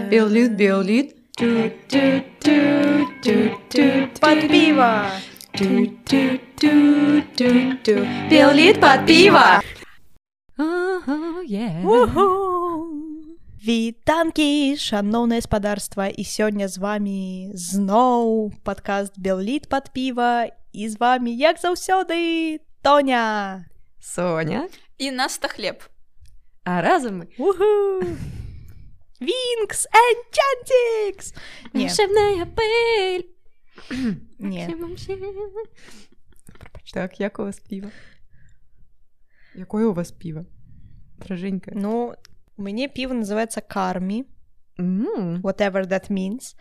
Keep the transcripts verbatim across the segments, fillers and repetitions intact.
Беллит, беллит. Под пиво. Беллит под пиво. Вітанкі, шаноўнае спадарства, і сёння з вами зноў падкаст Беллит под піва, і з вами, як заўсёды, Тоня, Соня і Наста Хлеб. А разом мы Винкс Энчантикс. Волшебная пыль. Не. Так, як у вас пиво? Якое у вас пиво? Драженька. Ну, у мяне пиво называется Карми. Mm. Whatever that means.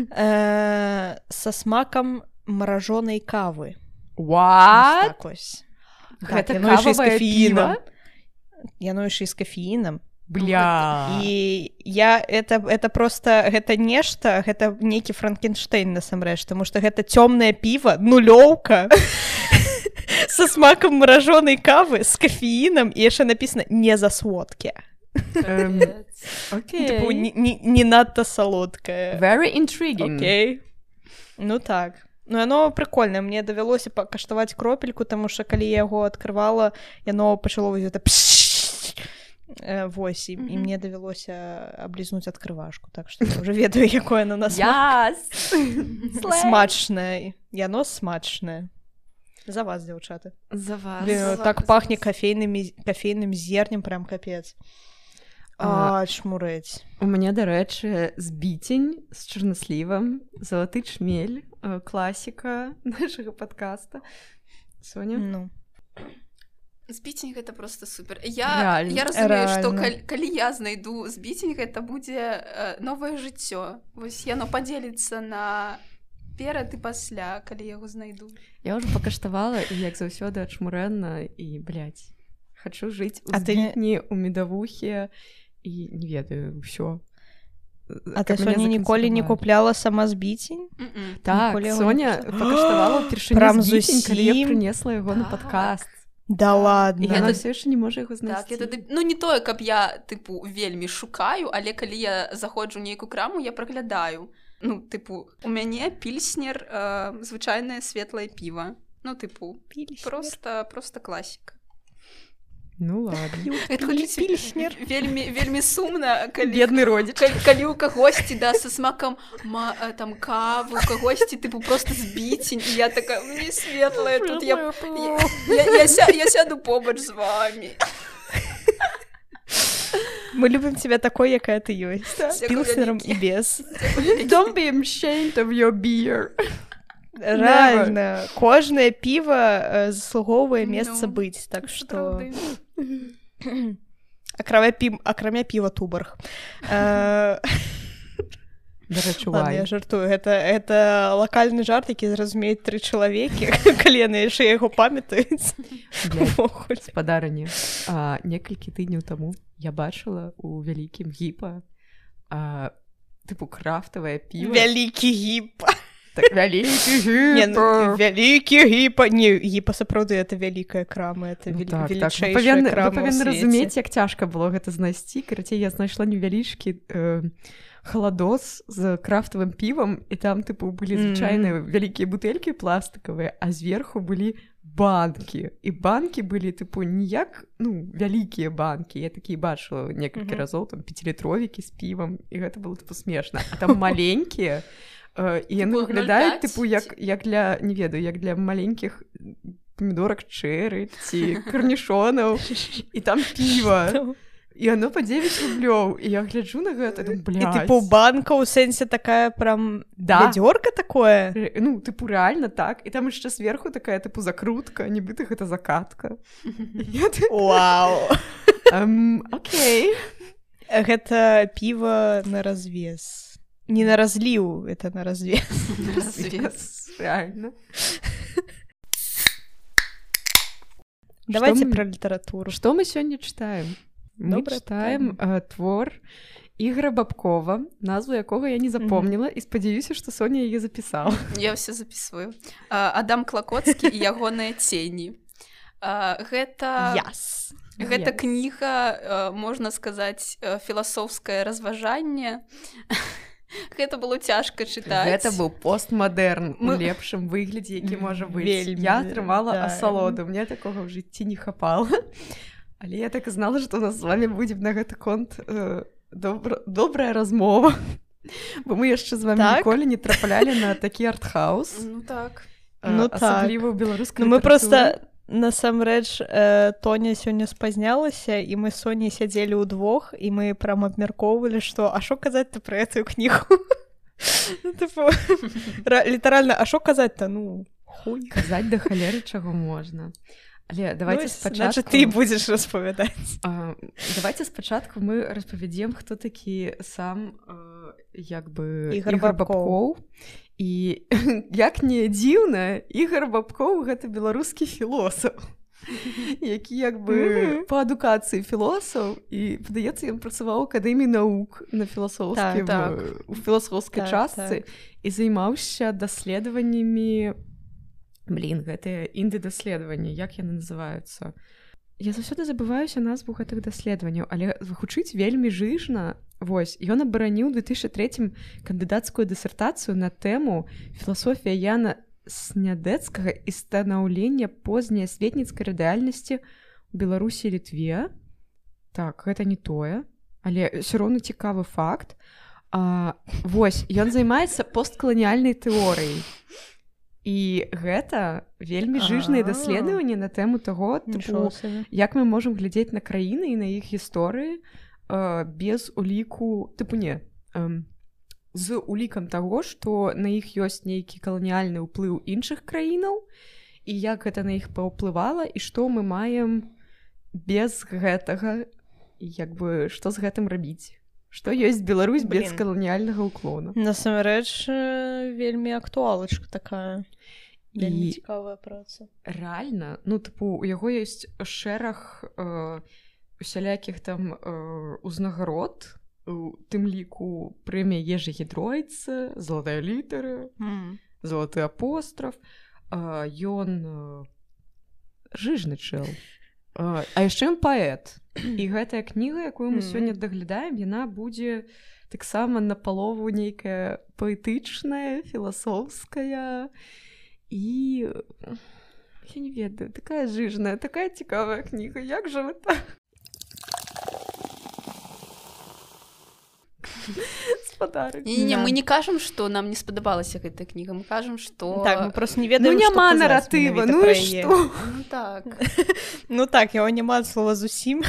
э, со смаком мороженой кавы. What? Так ось. Гэта так, яно яшчэ з кававае кафеінам. піва? Яно яшчэ з кафеінам. Бля. І я это это просто гэта нешта, гэта нейкі Франкенштейн насамрэч, таму што гэта цёмнае піва, нулёўка со смаком мороженой кавы з кафеінам, і яшчэ напісана не за сводкі. Окей. Типу, не, не, не надта салодкае. Very intriguing. Окей. Ну так. Ну, яно прикольнае. Мне давялося пакаштаваць кропельку, таму што калі я яго адкрывала, яно пачало вось гэта вось, і, mm-hmm. і мне давялося аблізнуць адкрывашку, так што я ўжо ведаю, якое яно на смак. Yes. Смачнае. Яно смачнае. За вас, дзяўчаты. За вас. Блин, За так вас. пахне кафейным, кафейным зернем, прям капец. А, а чмурэць. У мяне, дарэчы, збіцень з чарнаслівам, залаты чмель, класіка нашага падкаста. Соня? Ну. Збіцень гэта просто супер. Я, я разумею, што калі, калі я знайду збіцень, гэта будзе э, новае жыццё. Вось яно падзеліцца на перад і пасля, калі яго знайду. Я ўжо пакаштавала, і як заўсёды ачмурэнна, і, блядь, хачу жыць у а збітні, ты... у медавухе, і не ведаю, ўсё. А ты, Соня, ніколі не купляла сама збіцень? Mm-mm. Так, Соня пакаштавала ўпершыню збіцень, калі я прынесла яго на падкаст. Да ладно. І яна ўсё яшчэ не можа яго знайсці. Так, я тады... Ну, не тое, каб я, тыпу, вельмі шукаю, але калі я заходжу ў нейкую краму, я праглядаю. Ну, тыпу, у мяне пільснер, э, звычайнае светлае піва. Ну, тыпу, просто, просто класіка. Ну, ладно. Это пільснер. Вельмі, вельмі сумна, калі... Бедны родзіч. Калі, калі ў кагосьці, да, са смакам ма, там, кавы, у кагосьці, тыпу, просто збіцень, і я такая, мне светлая, тут я... Я, я, я, ся, я сяду побач з вами. Мы любим тебя такой, якая ты ёсць. С пілснером і без. Don't be ashamed of your beer. Реально, кожнае піва заслуговвае месца no. быць, так што... Акрамя, пі... Акрамя піва Туборг. Дарэчы, Ладно, я жартую. Гэта, гэта лакальны жарт, які зразумеюць тры чалавекі, калі яны яшчэ яго памятаюць. Спадарыні, некалькі тыдняў таму я бачыла у вялікім гіпа тыпу крафтавае піва. Вялікі гіпа. Так, вялікі гіпа. Не, ну, вялікі гіпа. Не, гіпа сапраўды, это вялікая крама, это ну, вел... так, велічэйшая так. Павінны, крама ў свеце. Вы павінны разумець, як цяжка было гэта знайсці. Карацей, я знайшла невялічкі э, халадос з крафтавым півам, і там, тыпу, былі звычайныя mm. вялікія бутэлькі пластыкавыя, а зверху былі банкі. І банкі былі, тыпу, ніяк, ну, вялікія банкі. Я такія бачыла некалькі mm-hmm. разоў, там, пяцілітровікі з півам, і гэта было, тыпу, смешна. А там маленькія, Uh, і яны выглядаюць, тыпу, як, як для, не ведаю, як для маленькіх памідорак чэры ці карнішонаў, і там піва. І оно па дзевяць рублёў. І я гляджу на гэта, думаю, блядь. І тыпу банка ў сэнсе такая прям да. вядзёрка такое? Р- ну, тыпу, реально так. І там яшчэ зверху такая, тыпу, закрутка, нібыта гэта закатка. Вау. Окей. Гэта піва на развес. Не на разліў, это на развес. На развес, реально. Давайте мы... про літаратуру. Што мы сёння чытаем? Мы Доброе чытаем э, твор Ігора Бабкова, назву якога я не запомніла, mm-hmm. і спадзяюся, што Соня яе запісала. Я ўсё запісваю. Адам Клакоцкі і ягоныя цені. А, гэта Yes. гэта Yes. кніга, можна сказаць, філасофскае разважанне. Гэта было цяжка чытаць. Гэта быў постмадэрн Мы- у лепшым выглядзе, які можа быць. Вельмі, Я атрымала да. асалоду, мне такога ў жыцці не хапала. Але я так і знала, што у нас з вами будзе на гэты конт э, добра, добрая размова. Бо мы яшчэ з вами Так? ніколі не траплялі на такі артхаус. Ну так. э, Ну так. асабліва ў беларускай Ну мы літаратуры. просто насамрэч э, Тоня сёння спазнялася і мы з Соняй сядзелі ўдвох і мы прям абмяркоўвалі, што а што казаць-то пра гэтую кнігу? Ну, типу, ра- літаральна, а што казаць-то? Ну, хуй. Казаць да халеры чаго можна. Але давайте Ну, спачатку... значит, ты будзеш распавядаць. А, давайте спачатку мы распавядзем, хто такі сам э, як бы Ігор Ігор Бабкоў. І як не дзіўна, Ігор Бабкоў гэта беларускі філосаф, які як бы Мгм. па адукацыі філосаф, і падаецца, ён працаваў у акадэміі навук на філасофскім Так, э, у філасофскай Так, частцы і займаўся даследаваннямі. Блін, гэтыя інды-даследаванні, як яны называюцца? Я заўсёды забываюся назву гэтых даследаванняў, але гучыць вельмі жыжна. Вось, ён абараніў у две тысячи третьем кандыдацкую дысертацыю на тэму «Філасофія Яна Снядэцкага і станаўлення позняасветніцкай рэальнасці ў Беларусі і Літве». Так, гэта не тое, але ўсё роўна цікавы факт. А, вось, ён займаецца посткаланіяльнай тэорыяй. І гэта вельмі жыжныя А. даследаванні на тэму таго, тыпу, як мы можам глядзець на краіны і на іх гісторыі э, без уліку, тыпу не, э, з улікам таго, што на іх ёсць нейкі каланіяльны ўплыў іншых краінаў, і як гэта на іх паўплывала, і што мы маем без гэтага, і як бы што з гэтым рабіць. Што ёсць Беларусь без Блін. каланіяльнага ўклону. Насамрэч, э, вельмі актуалачка такая. Вельмі І цікавая праца. рэальна, ну тыпу у яго ёсць шэраг э, усялякіх там э, узнагарод, у тым ліку прэмія Ежы Гідройца, залатая літара, Mm. залаты апостраф. э, ён э, жыжны чэл. Э, а яшчэ ён паэт. І гэтая кніга, якую мы Мгм. сёння даглядаем, яна будзе таксама напалову нейкая паэтычная, філасофская. І я не ведаю, такая жыжная, такая цікавая кніга. Як жа вы так? Спадарык. Не-не, Да. мы не кажам, што нам не спадабалася гэтая кніга, мы кажам, што... Так, мы просто не Ну ведаем, няма што казаць наратыва, менавіта ну пра і яе. што? Ну так. Ну так, яго няма ад слова зусім.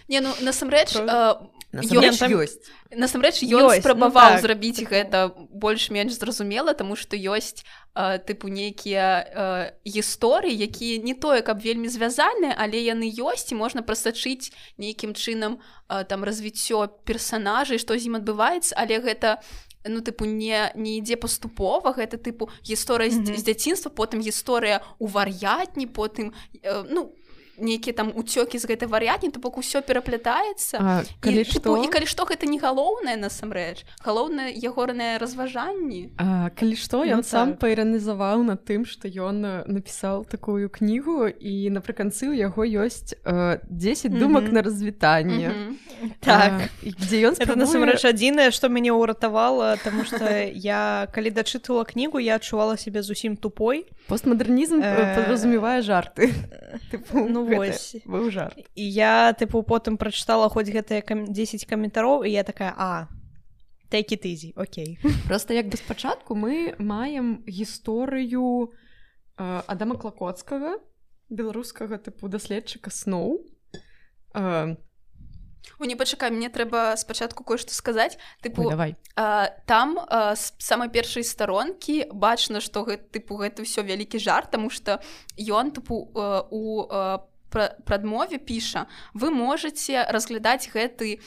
Не, ну насамрэч, Про- э, Насамрэч там- ёсць. насамрэч ён Ёсць, ну спрабаваў так. зрабіць гэта больш-менш зразумела, таму што ёсць э, тыпу нейкія э, гісторыі, якія не тое, каб вельмі звязаныя, але яны ёсць і можна прасачыць нейкім чынам э, там развіццё персанажай, што з ім адбываецца, але гэта ну тыпу не не ідзе паступова, гэта тыпу гісторыя з, Мгм. з дзяцінства, потым гісторыя ў вар'ятні, потым э, ну нейкія там уцёкі з гэтай вар'ятні, то бок усё пераплятаецца. А, І, калі тыпу, што, і калі што гэта не галоўнае насамрэч, галоўнае ягорнае разважанні. а, калі што, Ну ён сам так. паіранізаваў над тым, што ён э, напісаў такую кнігу, і напрыканцы ў яго ёсць э, дзесяць думак Мгм. на развітанне. Мгм. Так. А, і дзе ён Это спрабуе... насамрэч адзінае, што мяне ўратавала, таму што я калі дачытала кнігу, я адчувала сябе зусім тупой. Постмадэрнізм э, Э, падразумевае жарты. Тыпу, ну гэта вось. быў жарт. І я тыпу потым прачытала хоць гэтыя кам- дзесяць каментароў, і я такая: а take it easy, окей. Просто як бы спачатку мы маем гісторыю э, Адама Клакоцкага, беларускага тыпу даследчыка сноў. Э, О, не пачакай, мне трэба спачатку кое-што сказаць. ой, Тыпу, давай. а, там а, з самай першай старонкі бачна, што гэта, тыпу, гэта ўсё вялікі жарт, таму што ён тыпу а, у а, пра- прадмове піша: вы можаце разглядаць гэты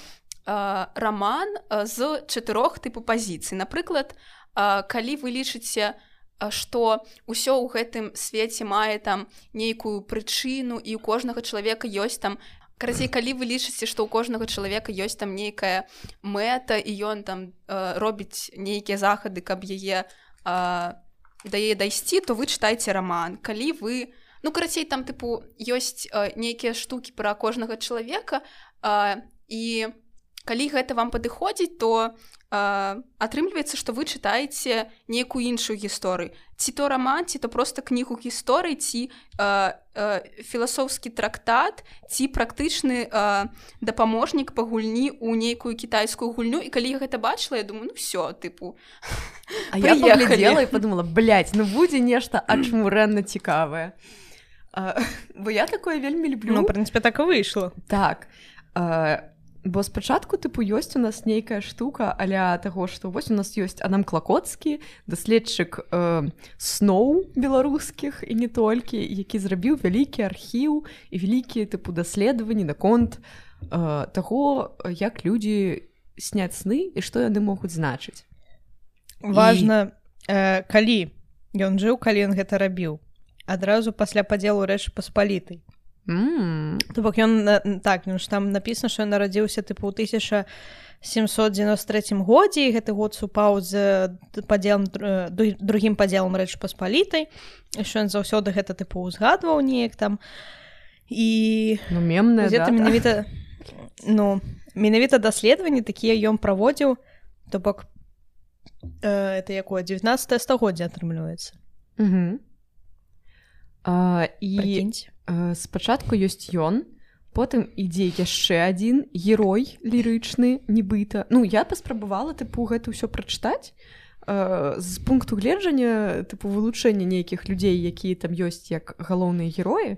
а, раман а, з чатырох тыпу пазіцый. Напрыклад, а, калі вы лічыце, а, што ўсё ў гэтым свеце мае там нейкую прычыну, і ў кожнага чалавека ёсць там. Карацей, калі вы лічыце, што ў кожнага чалавека ёсць там нейкая мэта, і ён там э, робіць нейкія захады, каб яе э, да яе дайсці, то вы чытайце раман. Калі вы Ну, карацей, там, тыпу, ёсць э, нейкія штукі пра кожнага чалавека, э, і калі гэта вам падыходзіць, то э, атрымліваецца, што вы чытаеце нейкую іншую гісторыю. Ці то раман, ці то проста кнігу гісторый, ці э, э, філасофскі трактат, ці практычны э, дапаможнік па гульні ў нейкую кітайскую гульню. І калі я гэта бачыла, я думаю, ну всё, тыпу, а я паглядзела і подумала, блядь, ну будзе нешта ачмурэнна цікавае. А, бо я такое вельмі люблю. Ну, в прынцыпе, так і выйшла. Так. А, бо спачатку, тыпу, ёсць у нас нейкая штука аля таго, што вось у нас ёсць Адам Клакоцкі, даследчык э, сноў беларускіх і не толькі, які зрабіў вялікі архіў і вялікія, тыпу, даследаванні наконт э, таго, як людзі сняць сны і што яны могуць значыць. Важна, і... э, калі ён жыў, калі ён гэта рабіў. Адразу пасля падзелу Рэчы Паспалітай. Mm. То бок ён, так, ён ж там напісана, што ён нарадзіўся тыпу ў тысяча сямсот дзевяносто трэцім годзе, і гэты год супаў з падзелам, другім падзелам Рэчы Паспалітай, што ён заўсёды гэта тыпу узгадваў неяк там. І ну, мемная дата. Менавіта, ну, менавіта даследаванні такія ён праводзіў, то бок э, это якое дзевятнаццатае стагоддзе атрымліваецца. Угу. А, і Прыкіньце. Спачатку ёсць ён, потым ідзе яшчэ адзін герой лірычны, нібыта. Ну, я паспрабавала, тыпу, гэта ўсё прачытаць э, з пункту гледжання, тыпу, вылучэння нейкіх людзей, якія там ёсць як галоўныя героі.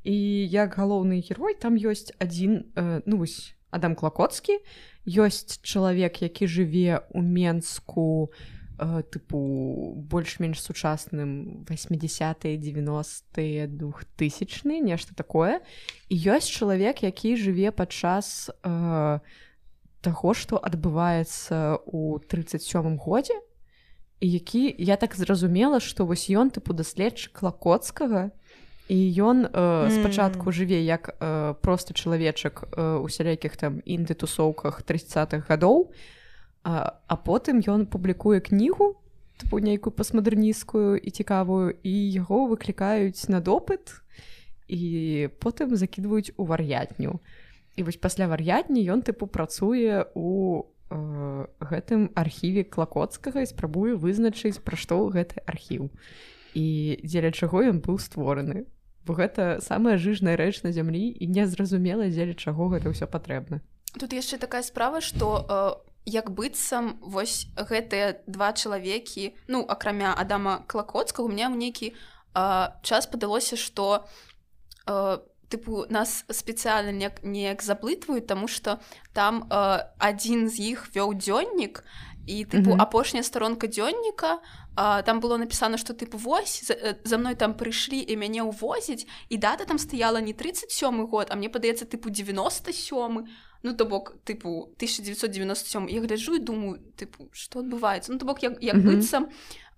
І як галоўны герой там ёсць адзін, э, ну, вось, Адам Клакоцкі, ёсць чалавек, які жыве ў Менску, тыпу больш-менш сучасным восьмидесятые девяностые двухтысячные, нешта такое. І ёсць чалавек, які жыве падчас э, таго, што адбываецца ў тридцать сёмым годзе, і які, я так зразумела, што вось ён тыпу даследчык Клакоцкага, і ён э, спачатку жыве як э, просто чалавечак э, у сялякіх там інды-тусоўках тридцатых гадоў, А, а потым ён публікуе кнігу, тыпу нейкую пастмадэрнісцкую і цікавую, і яго выклікаюць на допыт, і потым закідваюць у вар'ятню. І вось пасля вар'ятні ён тыпу працуе у э, гэтым архіве Клакоцкага і спрабуе вызначыць, пра што гэты архіў. І дзеля чаго ён быў створаны. Бо гэта самая жыжная рэч на зямлі, і незразумела, дзеля чаго гэта ўсё патрэбна. Тут яшчэ такая справа, што э... як быццам вось гэтыя два чалавекі, ну, акрамя Адама Клакоцкага, у меня ў нейкі э, час падалося, што э, тыпу нас спецыяльна неяк, неяк заблытваюць, таму што там э, адзін з іх вёў дзённік, і тыпу mm-hmm. апошняя старонка дзённіка, э, там было напісана, што тыпу вось, за, за мной там прыйшлі і мяне ўвозіць, і дата там стаяла не тридцать сёмы год, а мне падаецца тыпу девяносто сёмы. Ну, то бок, тыпу, тысяча девятьсот девяносто сёмы. Я гляджу і думаю, тыпу, што адбываецца? Ну, то бок, як, як mm-hmm. быццам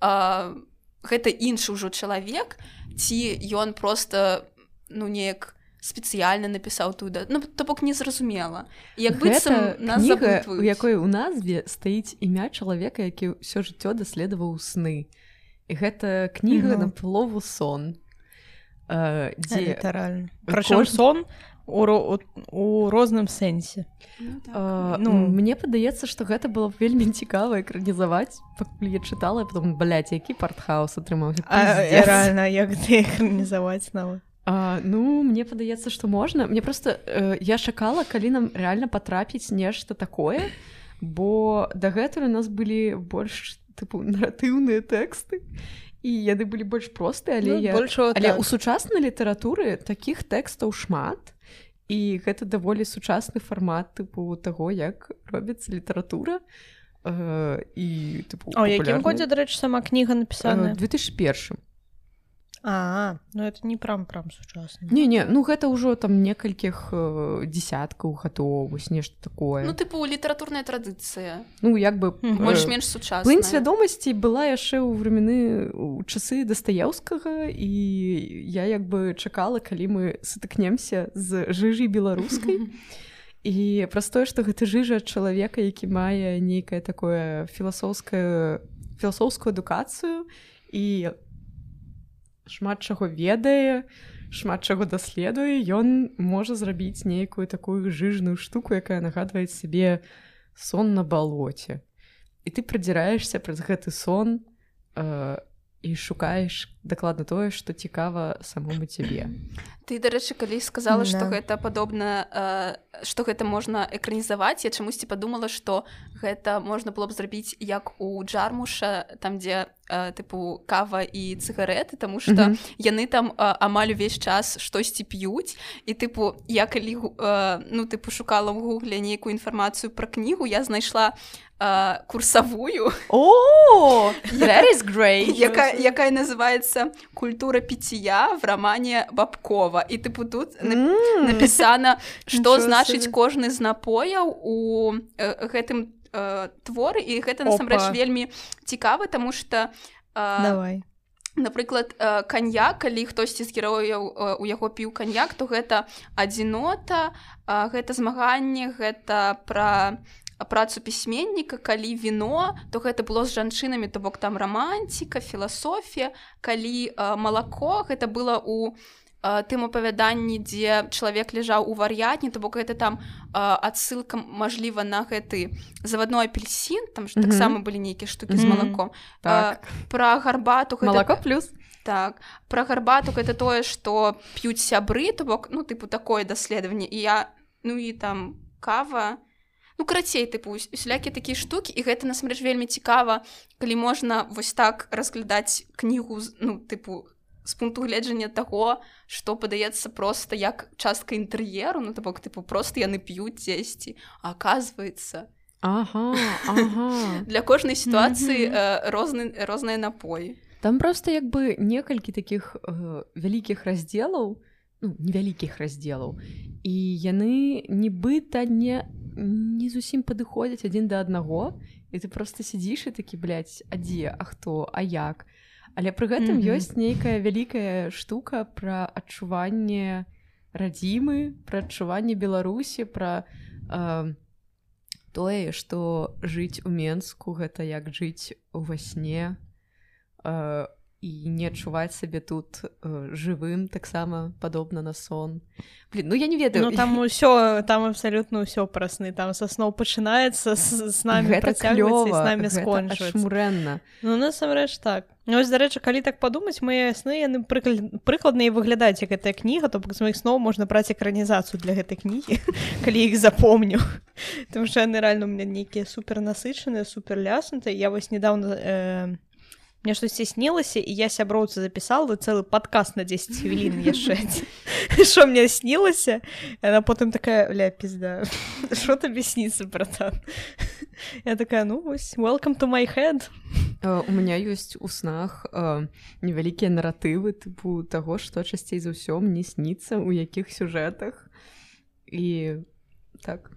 а, гэта іншы ўжо чалавек, ці ён проста, ну, неяк спецыяльна напісаў тую дату. Ну, то бок, незразумела. Як быццам нас заблытваюць. Гэта кніга, у якой у назве стаіць імя чалавека, які ўсё жыццё даследаваў сны. І гэта кніга mm-hmm. на палову сон. Uh, дзе... Літаральна. Прычым Кож... сон у, у, у розным сэнсе. Ну, так. uh, ну, мне падаецца, што гэта было вельмі цікава экранізаваць. Пакуль я чытала, я потом, блядь, які партхаус атрымаўся. Рэальна, як ты экранізаваць нават? Uh, ну, мне падаецца, што можна. Мне просто uh, я чакала, калі нам рэальна патрапіць нешта такое, бо дагэтуль у нас былі больш тыпу наратыўныя тэксты. І яны былі больш простыя, але, ну, я... больше, але так. у сучаснай літаратуры такіх тэкстаў шмат, і гэта даволі сучасны фармат тыпу таго, як робіцца літаратура. Э, і, тыпу, а ў якім годзе, дарэчы, сама кніга напісаная? две тысячи первым. А, ну это не прям-прям сучасна. Не-не, ну гэта ўжо там некалькіх э, десяткаў гадоў, вось нешта такое. Ну, тыпу, літаратурная традыцыя. Ну, як бы... Mm-hmm. Больш-менш сучасная. Плынь свядомасці была яшчэ ў времены, у часы Дастаеўскага, і я як бы чакала, калі мы сутыкнемся з жыжай беларускай. І праз тое, што гэта жыжа чалавека, які мае нейкае такое філасофскае, філасофскую адукацыю, і шмат чаго ведае, шмат чаго даследуе, ён можа зрабіць нейкую такую жыжную штуку, якая нагадвае сабе сон на балоце. І ты прадзіраешся праз гэты сон э, і шукаеш дакладна тое, што цікава самому цябе. Ты, дарэчы, калі сказала, што да. гэта падобна, э, што гэта можна экранізаваць, я чамусьці падумала, што гэта можна было б зрабіць як у Джармуша, там, дзе э, тыпу кава і цыгарэты, таму што mm-hmm. яны там э, амаль увесь час штосьці п'юць, і тыпу я калі э, ну, тыпу шукала ў гугле нейкую інфармацыю пра кнігу, я знайшла Uh, курсавую. О, that is great. Якая, якая называецца «Культура питья» в романе Бабкова. І тыпу тут mm. напісана, што значыць кожны з напояў у э, гэтым э, творы, і гэта насамрэч вельмі цікава, таму што э, Давай. Напрыклад, э, каньяк, калі хтосьці з герояў э, у яго піў каньяк, то гэта адзінота, э, гэта змаганне, гэта пра працу пісьменніка, калі віно, то гэта было з жанчынамі, то бок там рамантика, філасофія, калі э, малако, гэта было у э, тым апавяданні, дзе чалавек ляжаў у вар'ятні, то бок гэта там э, адсылка, мажліва, на гэты завадной апельсін, там ж mm-hmm. таксама былі нейкія штукі mm-hmm. з малаком. Так. Э, пра гарбату... Гэта... Малако плюс. Так. Пра гарбату гэта тое, што п'юць сябры, то бок, ну, тыпу, такое даследаванне. І я, ну, і там кава... Ну, карацей, тыпу, усялякія такія штукі, і гэта, насамрэч, вельмі цікава, калі можна вось так разглядаць кнігу, ну, тыпу, з пункту гледжання таго, што падаецца проста як частка інтэр'еру, ну, то бок, тыпу, проста яны п'юць дзесьці, а аказваецца... Ага, ага. Для кожнай сітуацыі mm-hmm. э, розны, розныя напоі. Там проста як бы некалькі такіх э, вялікіх раздзелаў, ну, невялікіх раздзелаў, і яны нібыта не... не зусім падыходзяць адзін да аднаго, і ты проста сядзіш і такі, блядь, а дзе, а хто, а як? Але пры гэтым mm-hmm. ёсць нейкая вялікая штука пра адчуванне радзімы, пра адчуванне Беларусі, пра э, тое, што жыць у Менску гэта як жыць ува сне, э, і не адчуваць сабе тут э, жывым, таксама падобна на сон. Блин, ну я не ведаю. Ну там усё, там абсалютна ўсё пра сны, там са сноў пачынаецца, з, з намі працягваецца і з намі скончваецца. Гэта ашмурэнна. Ну насамрэч так. Ну вось, дарэчы, калі так падумаць, мае сны, яны прыклад, прыкладна і выглядаюць як гэтая кніга, то бок з маіх сноў можна браць экранізацыю для гэтай кнігі, калі іх запомню. Таму што яны рэальна у мяне нейкія супер насычаныя, супер ляснутыя. Я вось недавно... Э, мне штосьці снілася, і я сяброўцы запісала цэлы падкаст на дзесяць хвілін яшчэ. Што мне снілася? Яна потым такая, ля, пізда, што табе сніцца, братан? Я такая, ну вось, welcome to my head. Uh, у меня ёсць у снах uh, невялікія наратывы, тыпу таго, што часцей за ўсё мне сніцца, у якіх сюжэтах. І так...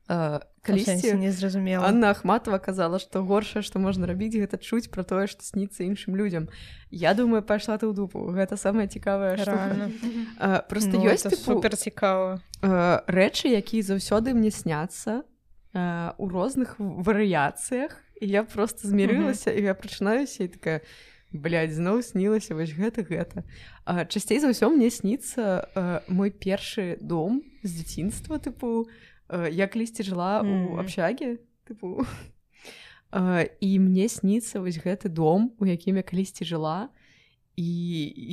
Uh, калісьці незразумела. Анна Ахматова казала, што горшае, што можна рабіць, гэта чуць пра тое, што сніцца іншым людзям. Я думаю, пайшла ты ў дупу. Гэта самая цікавая штука. Uh, просто ну, ёсць тыпу, супер цікава. Uh, рэчы, якія заўсёды мне сняцца uh, у розных варыяцыях, і я просто змірылася, uh-huh. і я прачынаюся і такая, блядь, зноў снілася вось гэта гэта. Uh, часцей за ўсё мне сніцца uh, мой першы дом з дзяцінства, тыпу, я калісьці жыла ў абшаге, тыпу, і мне сніцца вось гэты дом, у якім я калісьці жыла, і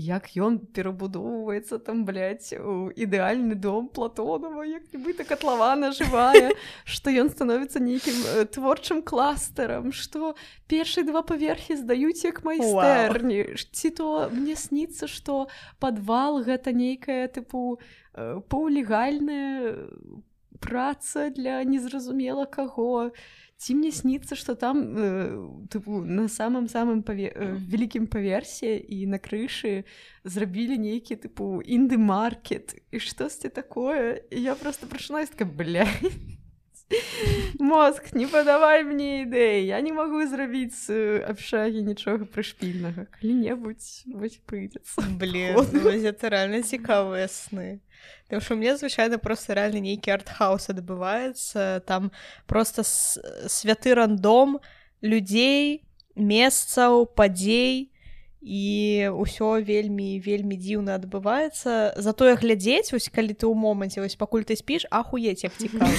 як ён перабудоўваецца там, блядь, у ідэальны дом Платонова, як нібыта катлавана жывая, што ён становіцца нейкім творчым кластарам, што першыя два паверхі здаюць як майстэрні, ці то мне сніцца, што падвал гэта нейкая, тыпу, паўлегальная праца для незразумела каго. Ці мне сніцца, што там э, тыпу, на самым-самым паве... э, вялікім паверсе і на крышы зрабілі нейкі тыпу інды-маркет і штосьці такое. І я просто прачынаюсь такая, блядь, мозг, не падавай мне ідэі, я не магу зрабіць з абшагі нічога прышпільнага. Калі-небудзь вось прыйдзецца. Блин, ну гэта рэальна цікавыя сны. Тому що у меня, звичайно, просто реально нейкий артхаус адбываецца, там просто святы рандом людзей, месцаў, падзей, і ўсё вельмі вельмі дзіўна адбываецца, затое глядзець вось калі ты ў моманце вось пакуль ты спіш, ахуець як цікава.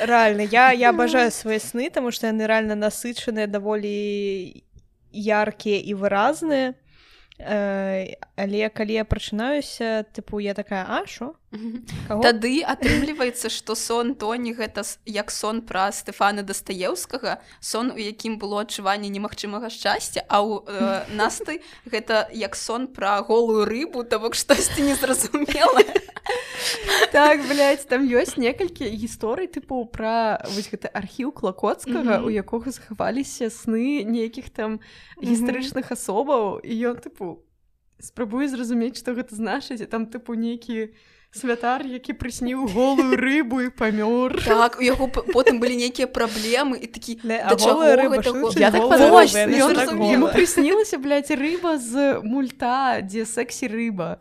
Реально, я я абажаю свае сны, таму што яны рэальна насычаныя, даволі яркія і выразныя. Э, але калі я прачынаюся, тыпу я такая, а шо? Тады атрымліваецца, што сон Тоні гэта як сон пра Стэфана Дастаеўскага, сон, у якім было адчуванне немагчымага шчасця, а ў э, Насты гэта як сон пра голую рыбу, то бок штосьці незразумелае. Так, блядь, там ёсць некалькі гісторый тыпу пра вось гэты архіў Клакоцкага, у якога захаваліся сны нейкіх там гістарычных асобаў, і ён тыпу спрабуе зразумець, што гэта значыць, і там тыпу нейкі святар, які прысніў голую рыбу і памёр. Так, у яго потым былі нейкія праблемы і такі, да чаго гэта? Я так подумала, яму прыснілася, блядь, рыба з мульта, дзе сексі-рыба.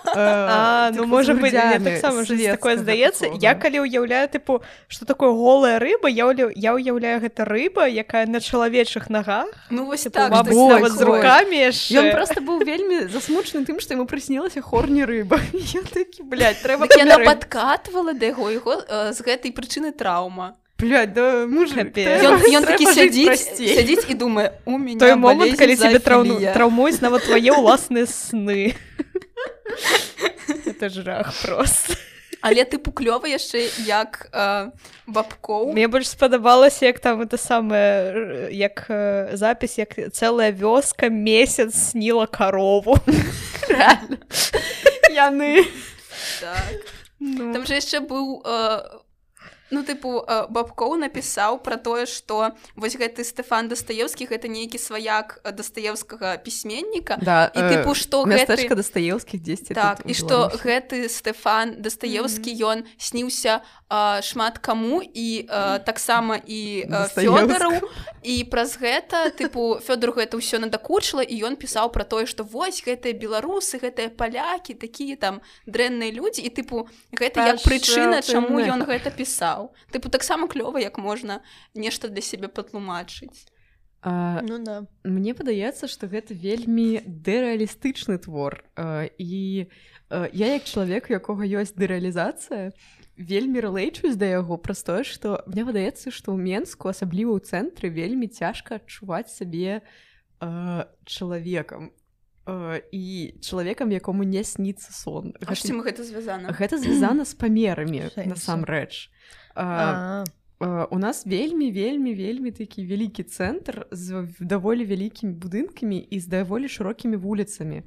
А, ну можа быць, мне таксама такое здаецца. Я калі ўяўляю, тыпу, што такое голая рыба, я ўяўляю гэта рыба, якая на чалавечых нагах. Ну вось так, нават з рукамі яшчэ. Ён проста быў вельмі засмучаны тым, што яму прыснілася хорні рыба. Ён такі, блядь, трэба памярыць. Яна падкатвала да яго, яго з гэтай прычыны траўма. Блядь, да мужик, ён такі сядзіць, сядзіць і думае, у мяне той момант, калі цябе траўмуюць нават твае ўласныя сны. Это жах просто. Але тыпу клёва яшчэ як э, Бабкоў. Мне больш спадабалася, як там это самае, як э, запіс, як цэлая вёска месяц сніла карову. Реально. Яны. Так. Ну. Там же яшчэ быў... Э, ну, тыпу, Бабкоў напісаў пра тое, што вось гэты Стэфан Дастаеўскі гэта нейкі сваяк Дастаеўскага пісьменніка. Да, і тыпу, што гэты... Мястэчка Дастаеўскіх дзесьці. Так, і што гэты Стэфан Дастаеўскі, ён mm-hmm. сніўся а, шмат каму, і а, таксама і Фёдору, і праз гэта, тыпу, Фёдору гэта ўсё надакучыла, і ён пісаў пра тое, што вось гэтыя беларусы, гэтыя палякі, такія там дрэнныя людзі, і тыпу, гэта як прычына, чаму ён гэта пісаў. Тыпу, таксама клёва, як можна нешта для сябе патлумачыць. А, ну, да. Мне падаецца, што гэта вельмі дэрэалістычны твор. А, і а, я, як чалавек, у якога ёсць дэрэалізацыя, вельмі рэлэйчусь да яго праз тое, што мне падаецца, што ў Менску, асабліва ў цэнтры, вельмі цяжка адчуваць сабе а, чалавекам. Uh, і чалавекам, якому не сніцца сон. А гэта, чым гэта звязана? Гэта звязана з памерамі, насамрэч. Uh, uh, у нас вельмі, вельмі, вельмі такі вялікі цэнтр з даволі вялікімі будынкамі і з даволі шырокімі вуліцамі.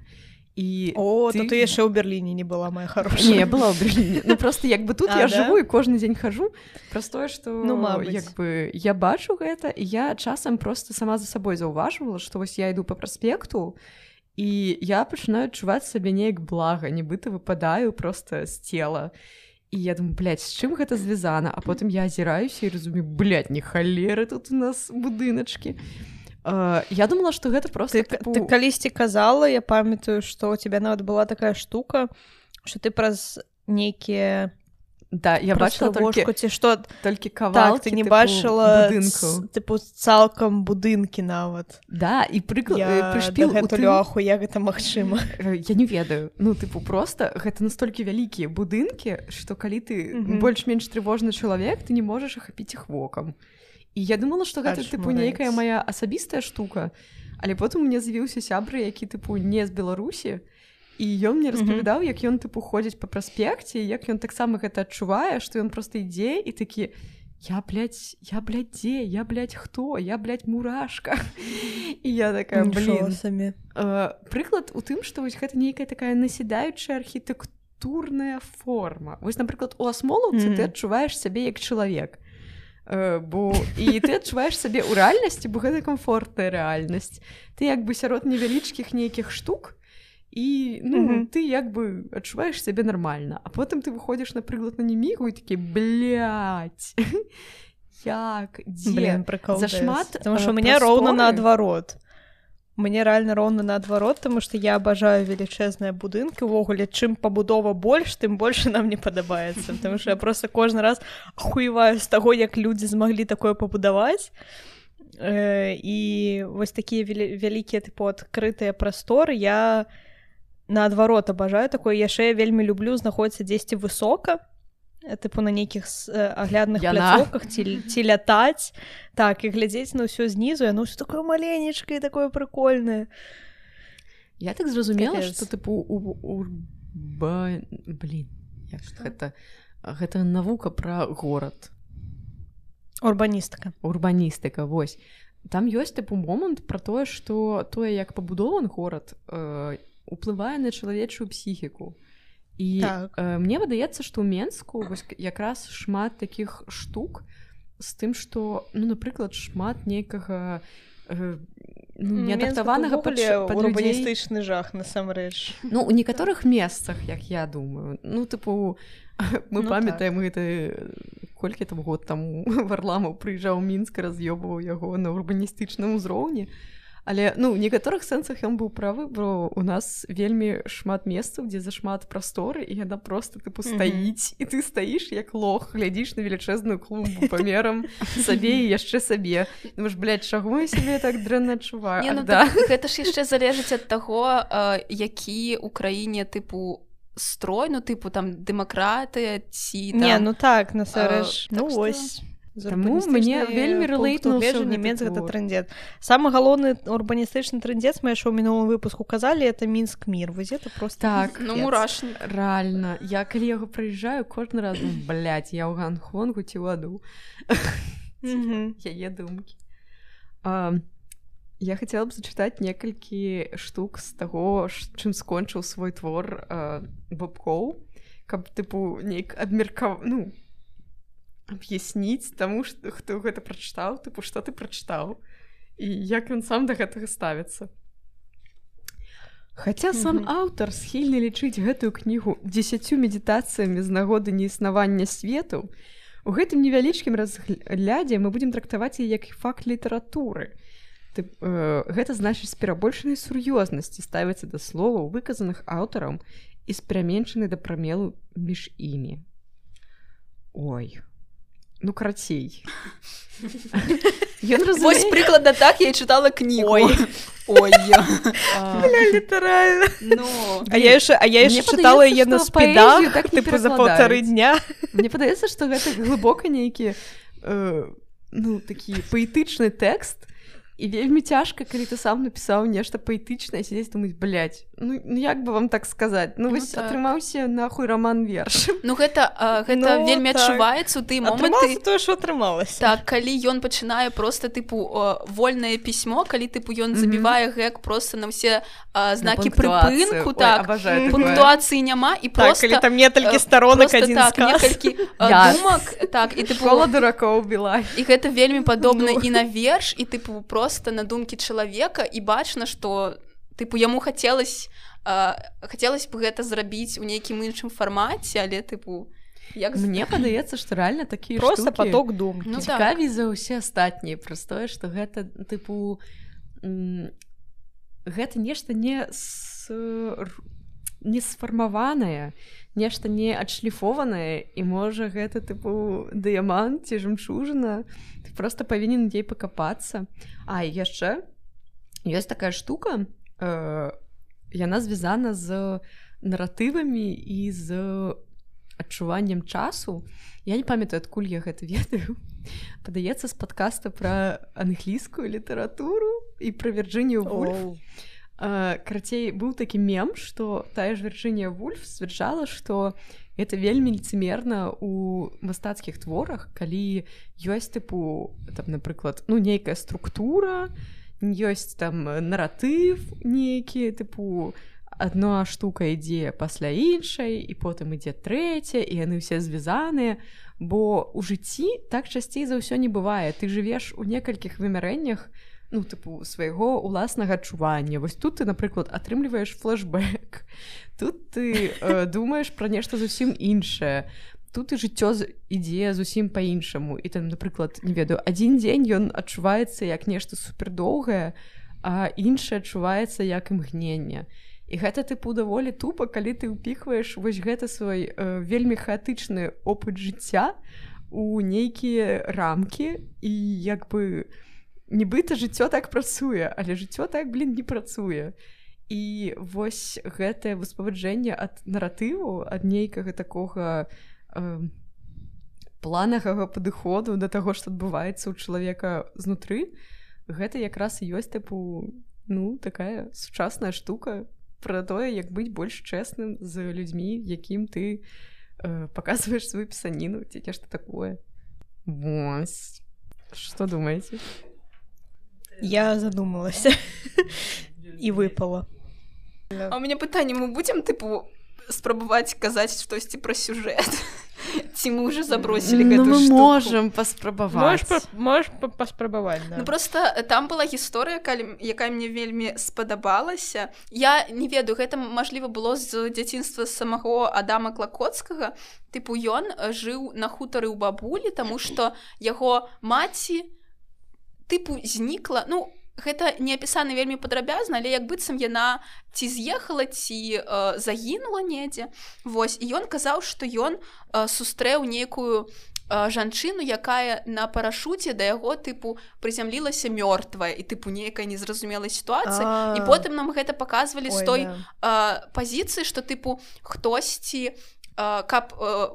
І О, ты... то ты яшчэ ў Берліне не была, моя хорошая. Не, я была ў Берліне. Ну, просто як бы тут а, я да? жыву і кожны дзень хожу. Просто тое, што ну, як бы я бачу гэта, і я часам просто сама за сабой заўважвала, што вось я іду па праспекту, і я пачынаю адчуваць сабе неяк блага, нібыта выпадаю проста з цела. І я думаю, блядь, з чым гэта звязана? А потым я азіраюся і разумею, блядь, не халеры тут у нас будыначкі. Uh, я думала, што гэта проста... Ты, тыпу... ты калісьці казала, я памятаю, што у тебя нават была такая штука, што ты праз нейкія... Да, я бачыла толькі, ці што... толькі кавалкі, так, ты не бачыла будынкаў. Тыпу, цалкам будынкі нават. Да, і прыклад... Я прышпіл дагэтуль аху, як гэта магчыма. Я не ведаю. Ну, тыпу, проста гэта настолькі вялікія будынкі, што калі ты mm-hmm. больш-менш трывожны чалавек, ты не можаш ахапіць іх вокам. І я думала, што гэта, Аж тыпу, нейкая моя асабістая штука, але потым у мяне з'явіўся сябра, які, тыпу, не з Беларусі, і ён мне распавядаў, як ён, тыпу, ходзіць па праспекце, як ён таксама гэта адчувае, што ён проста ідзе і такі, я, блядь, я, блядь, дзе? Я, блядь, хто? Я, блядь, мурашка. І я такая, блін. Uh, прыклад у тым, што вось гэта нейкая такая насідаючая архітэктурная форма. Вось, напрыклад, у асмолаўцы mm-hmm. ты адчуваеш сябе як чалавек. Uh, бо і ты адчуваеш сабе ў рэальнасці, бо гэта комфортная рэальнасць. Ты як бы сярод невялічкіх нейкіх штук, і ну, mm-hmm. ты як бы адчуваеш сябе нармальна. А потым ты выходзіш, напрыклад, на немігу і такі, блядь, як, дзе? Блин, прикол. Зашмат Потому что у меня роўна наадварот. Мне реально роўна наадварот, тому што я абажаю велічэзныя будынкі. Увогуле, чым пабудова больш, тым больше нам не падабаецца. Потому что я просто кожны раз ахуеваю з таго, як людзі змаглі такое пабудаваць. э, і вось такія вялікія тыпу адкрытыя прасторы я наадварот абажаю такое, яшчэ я вельмі люблю знаходзіцца дзесьці высока, тыпу на нейкіх аглядных пляцоўках ці, ці лятаць, так, і глядзець на ўсё знізу, яно ўсё такое маленечкае, такое прыкольнае. Я так зразумела, што тыпу у, у, ба... блин, як гэта гэта навука пра горад. Урбаністыка. Урбаністыка, вось. Там ёсць тыпу момант пра тое, што тое, як пабудован горад, э, уплывае на чалавечую псіхіку. І так. э, мне выдаецца, што ў Менску вось, якраз шмат такіх штук з тым, што, ну, напрыклад, шмат нейкага э, ну, неадаптаванага пад урбаністычны жах, насамрэч. Ну, у некаторых месцах, як я думаю. Ну, тыпу, мы ну, памятаем так. гэта колькі там год таму Варламаў прыязджаў у Мінск, раз'ёбваў яго на урбаністычным узроўні. Але, ну, у некаторых сэнсах ён быў правы, бо у нас вельмі шмат месцаў, дзе зашмат прасторы, і яна просто, тыпу, стаіць, mm-hmm. і ты стаіш як лох, глядзіш на велічэзную клумбу памерам сабе і яшчэ сабе. Думаеш, блядь, чаго я сябе так дрэнна адчуваю? Не, ну, да. так, гэта ж яшчэ залежыць ад таго, які ў краіне, тыпу, строй, ну, тыпу, там, дэмакратыя ці там... Не, ну так, насамрэч, ну, так ось... Таму мне вельмі рэлейтнуўся нямец гэта трэндзет. Самы галоўны урбаністычны трэндзец, мы яшчэ ў мінулым выпуску казалі, это Мінск мір. Вось это просто так, ну мурашна. Рэальна. Я калі яго прыязджаю, кожны раз, ну, блядь, я ў Ганхонгу ці ў аду. Яе думкі. Я хацела б зачытаць некалькі штук з таго, чым скончыў свой твор Бабкоў, каб, тыпу, нейк абмеркав... ну, аб'ясніць таму, што хто гэта прачытаў, тыпу, што ты прачытаў і як ён сам да гэтага ставіцца. Хаця сам mm-hmm. аўтар схільны лічыць гэтую кнігу дзесяццю медытацыямі з нагоды неіснавання свету, у гэтым невялічкім разглядзе мы будзем трактаваць яе як факт літаратуры. Тып, э, гэта значыць з перабольшанай сур'ёзнасці ставіцца да словаў, выказаных аўтарам і з пераменшанай да прамелу між імі. Ой... Ну, карацей. Вось прыкладна так я і чытала кнігу. Ой. Ой. Бля, літаральна. А я яшчэ чытала яе на спідах, тыпу, за паўтары дня. Мне падаецца, што гэта глыбока нейкі, ну, такі паэтычны тэкст, і вельмі цяжка, калі ты сам напісаў нешта паэтычнае, сядзець думаць, блядь, ну, як бы вам так сказаць? Ну, вось, ну, так. Атрымаўся нахуй роман-верш. Ну, гэта, а, гэта ну, вельмі так. адчуваецца ў тыя моманты... Атрымалася тое, што атрымалася. Так, калі ён пачынае проста, тыпу, о, вольнае пісьмо, калі, тыпу, ён mm-hmm. забівае гэк проста на ўсе а, знакі прыпынку, так, Ой, пунктуацыі няма, і так, проста... калі там некалькі сторонак, адзін так, сказ. Некалькі а, думак, так, і, тыпу... Школа дуракоў біла. І гэта вельмі падобна ну. і на верш, і, тыпу, просто на думкі чалавека, і бачна, што, тыпу, яму хацелось, э, хацелось бы гэта зрабіць у нейкім іншым фармаце, але, тыпу, як... Мне падаецца, што рэальна такія просто штукі... Просто поток думкі. Ну, цікавей так. за ўсе астатнія, простое, што гэта, тыпу, м- гэта нешта не, с... не сфармаванае, нешта не адшліфованае, і можа гэта, тыпу, дыямант ці жамчужына, ты просто павінен ей пакапацца. А, і яшчэ ёсць такая штука, э, яна звязана з наратывамі і з адчуваннем часу. Я не памятаю, адкуль я гэта ведаю. Падаецца з падкаста пра англійскую літаратуру і пра Вірджынію Вульф. Uh, карацей, быў такі мем, што тая ж Вірджынія Вульф сцвярджала, што гэта вельмі лицемерна ў мастацкіх творах, калі ёсць, тыпу, там, напрыклад, ну, нейкая структура, ёсць там наратыв нейкі, тыпу, адна штука ідзе пасля іншай, і потым ідзе трэця, і яны ўсе звязаныя, бо ў жыцці так часцей за ўсё не бывае. Ты жывеш у некалькіх вымярэннях, ну, тыпу, свайго ўласнага адчування. Вось тут ты, напрыклад, атрымліваеш флэшбэк, тут ты э, думаеш пра нешта зусім іншае, тут і жыццё ідзе зусім па-іншаму. І там, напрыклад, не ведаю, адзін дзень ён адчуваецца як нешта супердоўгае, а іншы адчуваецца як імгненне. І гэта, тыпу, даволі тупа, калі ты ўпіхваеш вось гэта свой э, вельмі хаатычны опыт жыцця у нейкія рамкі і як бы нібыта жыццё так працуе, але жыццё так, блин, не працуе. І вось гэтае выспаваджэнне ад наратыву, ад нейкага такога э, планавага падыходу да таго, што адбываецца ў чалавека знутры, гэта якраз і ёсць тыпу, ну, такая сучасная штука пра тое, як быць больш чэсным з людзьмі, якім ты э, паказваеш сваю пісаніну, ці нешта такое. Вось. Што думаеце? Я задумалася і выпала. А у меня пытанне, мы будем, тыпу, спрабаваць казаць штосьці пра сюжэт? Ці мы уже забросілі ну, гэтую мы штуку? можам паспрабаваць. Можаш паспрабаваць, да. Ну, просто там была гісторыя, якая мне вельмі спадабалася. Я не ведаю, гэта, мажліва, было з дзяцінства самого Адама Клакоцкага. Тыпу, ён жыў на хутары ў бабулі, таму што яго маці, тыпу, знікла, ну, гэта не апісана вельмі падрабязна, але як быццам яна ці з'ехала, ці э, загінула недзе. Вось, і ён казаў, што ён э, сустрэў нейкую э, жанчыну, якая на парашуце да яго, тыпу, прызямлілася мёртвая, і, тыпу, нейкая незразумелая сітуацыя. І потым нам гэта паказвалі з той э, пазіцыі, што, тыпу, хтосьці, э, каб э,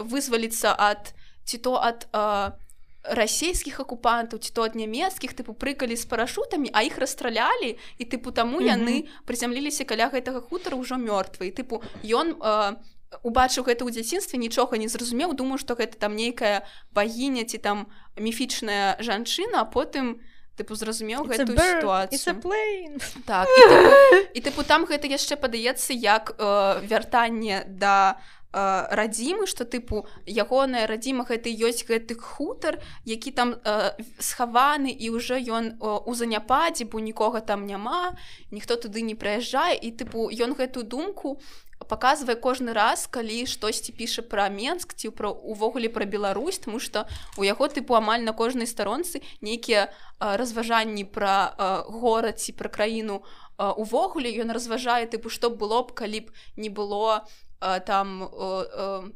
вызваліцца ад, ці то ад... Э, расійскіх акупантаў, ці то ад нямецкіх, тыпу, прыкалі з парашутамі, а іх расстралялі, і, тыпу, таму mm-hmm. яны прызямліліся каля гэтага хутара ўжо мёртвы. І, тыпу, ён э, убачыў гэта ў дзяцінстве, нічога не зразумеў, думаю, што гэта там нейкая багіня ці там міфічная жанчына, а потым, тыпу, зразумеў It's гэтую сітуацыю. It's a plane. Так, і, тыпу, і, тыпу, там гэта яшчэ падаецца як э, вяртанне да радзімы, што, тыпу, ягоная радзіма гэта ёсць гэты хутар, які там э, схаваны, і ўжо ён э, у заняпадзе, бо нікога там няма, ніхто туды не прыязджае, і, тыпу, ён гэтую думку паказвае кожны раз, калі штосьці піша пра Менск, ці пра, увогуле пра Беларусь, таму што у яго, тыпу, амаль на кожнай старонцы нейкія э, разважанні пра э, горад ці пра краіну э, увогуле, ён разважае, тыпу, што было б, калі б не было там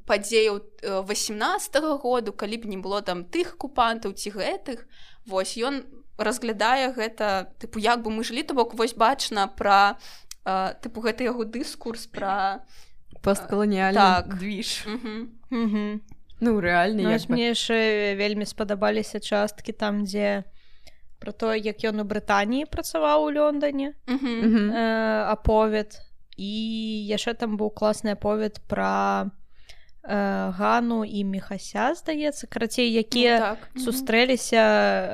падзеяў васемнаццатага году, калі б не было там тых акупантаў ці гэтых. Вось, ён разглядае гэта, тыпу, як бы мы жылі, то бок, вось бачна пра, тыпу, гэта яго дыскурс пра посткаланіяльны так. движ. Угу. Угу. Ну, рэальна, як бы. Мне яшчэ вельмі спадабаліся часткі там, дзе пра тое, як ён у Брытаніі працаваў у Лондоне, угу. э, аповед. І яшчэ там быў класны аповед пра э, Гану і Міхася, здаецца, карацей, якія ну, так. сустрэліся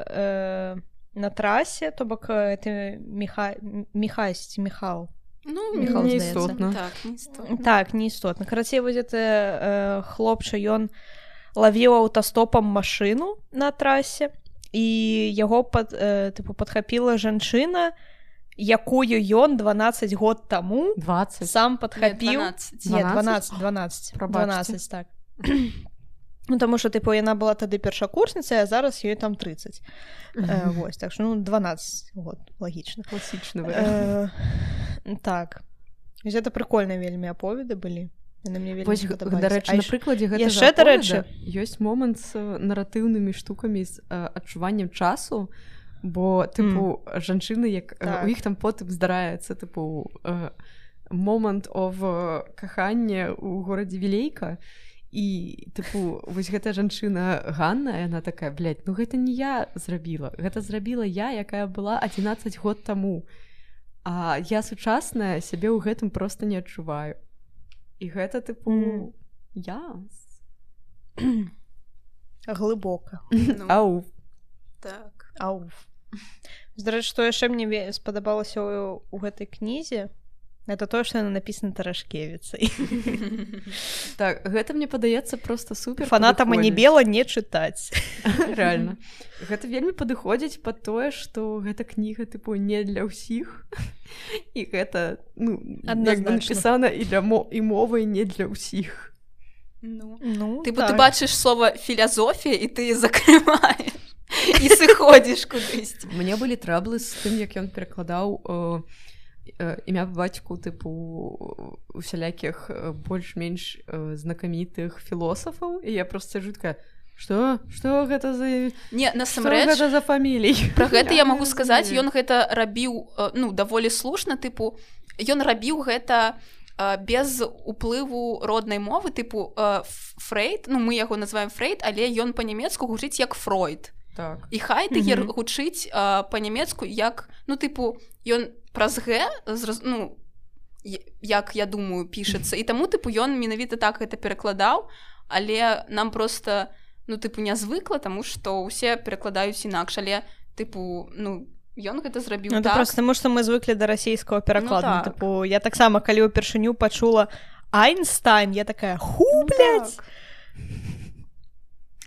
э, на трасе, то бок это Міха... Міхась ці Міхал. Ну, Міхал, не здаецца. істотна. Так, не істотна. Так, не істотна. Карацей, вось гэта э, хлопча, ён лавіў аўтастопам машыну на трасе, і яго пад, э, тыпу, падхапіла жанчына, якую ён дванаццаць год таму двадцать сам падхапіў. Не, дванаццаць, дванаццаць, Прабачце. дванаццаць, так. Ну, таму што, тыпу, яна была тады першакурсніца, а зараз ёй там трыццаць. Э, вось, так што, ну, дванаццаць год, лагічна. Класічны варыянт. Э, так. Гэта прыкольныя вельмі аповеды былі. Яны мне вельмі Вось, спадабаліся. дарэчы, на прыкладзе гэтага яшчэ, дарэчы, ёсць момант з наратыўнымі штукамі, з э, адчуваннем часу, бо, тыпу, mm. жанчыны, як так. у іх там потым здараецца, тыпу, э, момант ов кахання ў горадзе Вілейка, і, тыпу, вось гэтая жанчына Ганна, яна такая, блядь, ну гэта не я зрабіла, гэта зрабіла я, якая была адзінаццаць год таму, а я сучасная сябе ў гэтым проста не адчуваю. І гэта, тыпу, mm. я. Глыбока. Ну, Ау. так. Ауф. Здарэчы, што яшчэ мне спадабалася ў, у гэтай кнізе, гэта тое, што яна напісана Тарашкевіцай. Так, гэта мне падаецца проста супер. Фанатам Анібела не чытаць. Рэальна. Гэта вельмі падыходзіць пад тое, што гэта кніга, тыпу, не для ўсіх. І гэта, ну, як бы напісана і для мо- і мовай не для ўсіх. Ну, ну ты, так. ты бачыш слова філазофія, і ты закрываеш. І сыходзіш кудысьці. Мне былі траблы з тым, як ён перакладаў э, э, імя па бацьку, тыпу, усялякіх э, больш-менш э, знакамітых філосафаў, і я проста сиджу такая, Што? Што гэта за... Не, Што насамрэч, гэта за фамілій? пра гэта я магу не сказаць, разумею. ён гэта рабіў, э, ну, даволі слушна, тыпу, ён рабіў гэта э, без уплыву роднай мовы, тыпу, э, Фрейд, ну, мы яго называем Фрейд, але ён па-нямецку гучыць як Фройд. Так. І Хайдегер Мгм. гучыць э, па-нямецку як, ну, тыпу, ён праз Г, зраз... ну, я- як, я думаю, пішацца. І таму, тыпу, ён менавіта так гэта перакладаў, але нам просто, ну, тыпу, не звыкла, таму што ўсе перакладаюць інакш, але, тыпу, ну, ён гэта зрабіў Ну, это так. просто таму, што мы звыклі да расійскага перакладу. Ну, Ну, так. тыпу, я таксама, калі ўпершыню пачула Айнстайн, я такая, ху, Ну, блядь! так.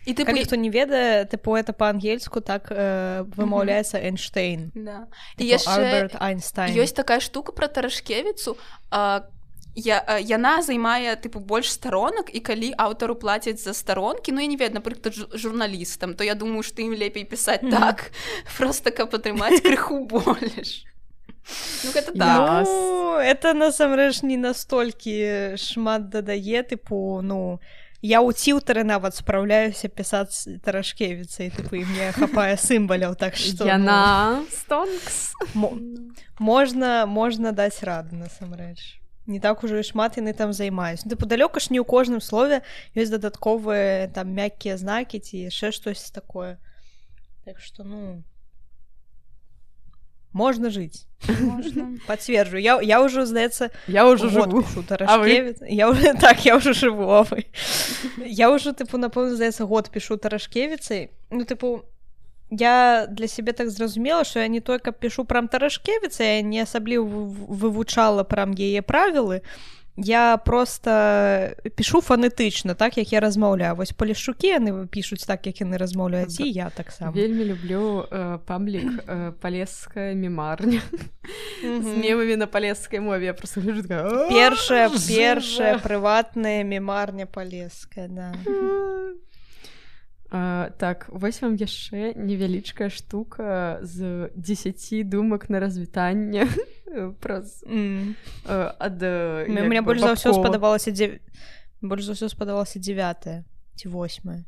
І, тыпу, Калі хто не ведае, тыпу, это па-ангельску так э, вымаўляецца Эйнштейн. да. І Тыпу, яшчэ Альберт Айнстайн. ёсць такая штука пра Тарашкевіцу, а, я, а, яна займае, тыпу, больш сторонак, і калі аўтару плацяць за сторонкі, ну, я не ведаю, напрыклад, жу- журналістам, то я думаю, што ім лепей пісаць Мгм. так, просто каб атрымаць крыху больш. Ну, гэта так. Ну, это насамрэч не настолькі шмат дадае, тыпу, ну, я ў ціўтары нават спраўляюся пісаць Тарашкевіцай, тыпу, і мне хапае сімваляў, так што... Яна Стонкс. Ну, мо- можна, можна даць раду, насамрэч. Не так ужо і шмат яны там займаюць. Ну, тыпу, далёка ж не ў кожным слове ёсць дадатковыя там мяккія знакі ці яшчэ штось такое. Так што, ну... Можна жыць. Можна. Пацверджу. Я, я ўжо, здаецца, Я ўжо год жыву. пішу Тарашкевіц. Я ўжо, так, я ўжо жыву, а вы. Я ўжо, тыпу, напэўна, здаецца, год пішу Тарашкевіцай. Ну, тыпу, я для сябе так зразумела, што я не той, каб пішу прам Тарашкевіца, я не асабліва вы- вывучала прам яе правілы. Я просто пішу фанетычна, так, як я размаўляю. Вось Полішчукі яны пішуць так, як яны размаўляюць, і я таксама. Вельмі люблю э, паблік э, палеская мемарня з Мгм. мемамі на палескай мове. Я просто гляджу такая... «А, Першая, жыва!» першая прыватная мемарня палеская, да. А, так, вось вам яшчэ невялічкая штука з дзесяці думак на развітанне праз Mm. э, ад э, Мне, як мне бы больш за ўсё Бабкова. спадабалася дзев... больш за ўсё спадабалася дзевятая ці восьмая.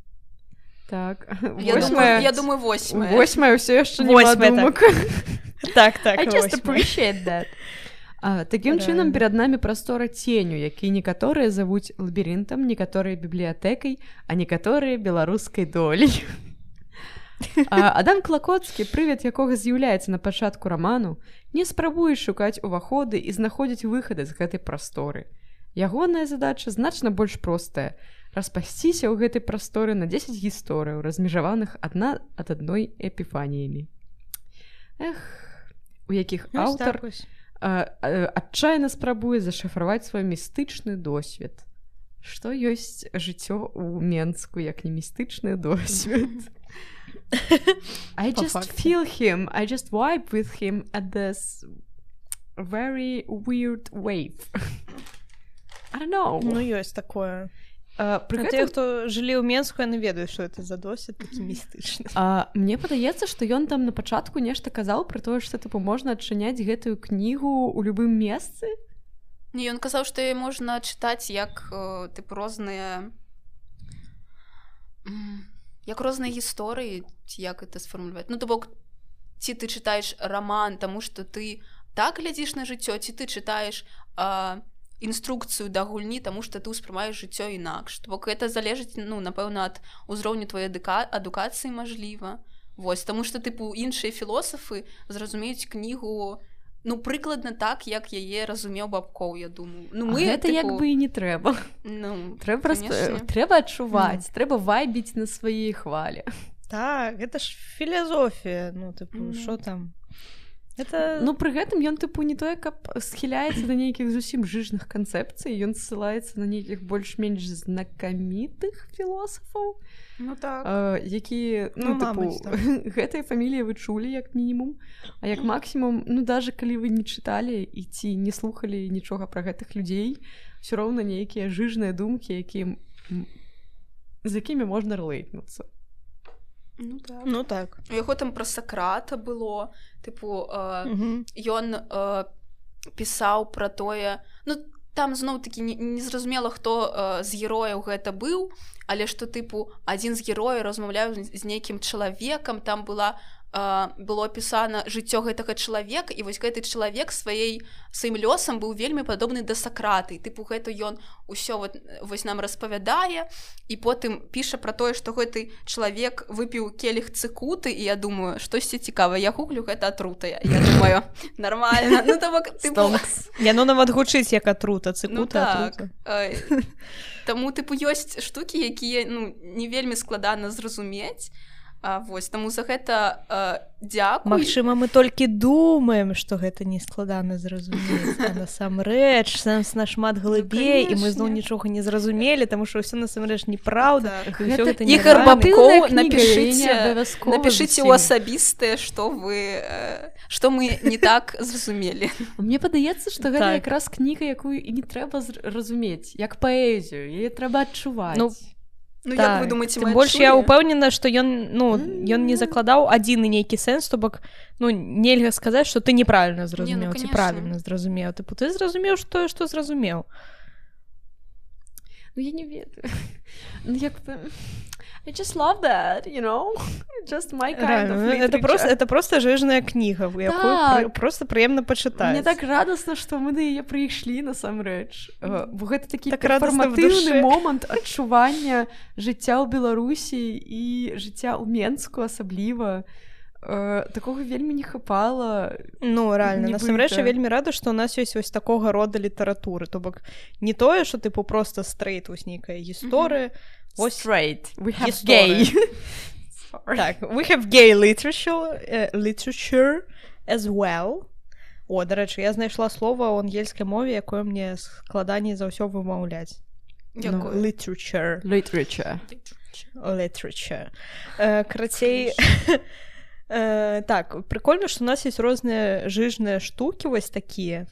Так, Я думаю, восьмая, я думаю, восьмая. восьмая ўсё яшчэ не Восьмая, так. думак. Так, так, I just восьмая. appreciate that. А, такім Правильно. чынам перад намі прастора ценю, які некаторыя завуць лабірынтам, некаторыя бібліятэкай, а некаторыя беларускай долей. А, Адам Клакоцкі, прывід якога з'яўляецца на пачатку раману, не спрабуе шукаць уваходы і знаходзіць выхады з гэтай прасторы. Ягоная задача значна больш простая — распасціся ў гэтай прасторы на дзесяць гісторыяў, размежаваных адна ад адной эпіфаніямі. Эх, у якіх Вось аўтар так вось. а, а, адчайна спрабуе зашыфраваць свой містычны досвед. Што ёсць жыццё ў Менску, як не містычны досвед? I Па just факце. feel him, I just vibe with him at this very weird wave. I don't know. Ну, ёсць такое. А, пры А гэтым, тыя, хто жылі ў Менску, яны ведаюць, што это за досвед такі містычны. а, мне падаецца, што ён там на пачатку нешта казаў пра тое, што тыпу можна адчыняць гэтую кнігу ў любым месцы. Не, ён казаў, што яе можна чытаць як э, тыпу розныя м, як розныя гісторыі, ці як это сфармуляваць. Ну, то бок, ці ты чытаеш раман, таму што ты так глядзіш на жыццё, ці ты чытаеш э, інструкцыю да гульні, таму што ты ўспрымаеш жыццё інакш. То бок, гэта залежыць, ну, напэўна, ад узроўню твоей адука... адукацыі, мажліва. Вось, таму што, тыпу, іншыя філосафы зразумеюць кнігу, ну, прыкладна так, як яе разумеў Бабкоў, я думаю. Ну, Мы, мы, гэта тыпу, як бы і не трэба. ну, Трэба просто конечно. трэба адчуваць, трэба вайбіць на сваёй хвалі. Так, гэта ж філазофія, ну, тыпу, Мгм. што там? Это... Ну пры гэтым ён тыпу не тое, каб схіляецца да нейкіх зусім жыжных канцэпцый, ён ссылаецца на нейкіх больш-менш знакамітых філосафаў, Ну, так. а, якія, ну, Ну, тыпу, мабыць, так. гэтай фаміліі вы чулі як мінімум, а як максімум, ну даже калі вы не чыталі і ці не слухалі нічога пра гэтых людзей, ўсё роўна нейкія жыжныя думкі, якія м, з якімі можна рэлейтнуцца. Ну, так. Ну, так. У яго там пра Сакрата было, тыпу, э, Мгм. ён э, пісаў пра тое, ну, там зноў-такі не- незразумела, хто э, з герояў гэта быў, але што тыпу адзін з герояў размаўляў з нейкім чалавекам, там была было апісана жыццё гэтага чалавека, і вось гэты чалавек сваей сваім лёсам быў вельмі падобны да Сакрата, і тыпу гэта ён усё вот, вось нам распавядае, і потым піша пра тое, што гэты чалавек выпіў келіх цыкуты, і я думаю, штосьці цікава, я гуглю, гэта атрутая, я думаю, нормально, ну то бок, тыпу... Яно нават гучыць як атрута, цыкута, ну, так. атрута. Таму, тыпу, ёсць штукі, якія, ну, не вельмі складана зразумець. А, вось, таму за гэта а, дзякуй. Магчыма, мы толькі думаем, што гэта не складана зразумець, а насамрэч сэнс нашмат глыбей, ну, і мы зноў нічога не зразумелі, таму што ўсё насамрэч неправда. Так. Гэта Ігор Бабкоў, напішыце, напішыце ў асабістае, што вы, што мы не так зразумелі. Мне падаецца, што гэта так. Якраз кніга, якую і не трэба разумець, як паэзію, яе трэба адчуваць. Ну, Ну, так. як вы думаеце, мы больш я ўпэўнена, што ён, ну, ён не закладаў адзін нейкі сэнс, то бок, ну, нельга сказаць, што ты неправільна зразумеў, ці правільна зразумеў. Тыпу, ты зразумеў тое, што зразумеў. Ну, я не ведаю. Ну, як бы... I just love that, you know? Just my kind of literature. Это просто, это просто жыжная кніга, якую так. просто прыемна пачытаць. Мне так радасна, што мы да яе прыйшлі насамрэч. Бо гэта такі так перфарматыўны момант адчування жыцця ў Беларусі і жыцця ў Менску асабліва. Такога вельмі не хапала. Ну, рэальна, насамрэч я вельмі рада, што ў нас ёсць вось такога рода літаратуры. То бок не тое, што тыпу проста стрейт, вось нейкая гісторыя. What's straight? We have gay. Так, we have gay literature, uh, literature as well. О, дарэчы, я знайшла слова ў ангельскай мове, якое мне складаней за ўсё вымаўляць. Якое? No, literature. Literature. Literature. Uh, крацей... uh, так, прикольна, што у нас ёсць розныя жыжныя штукі вось такія.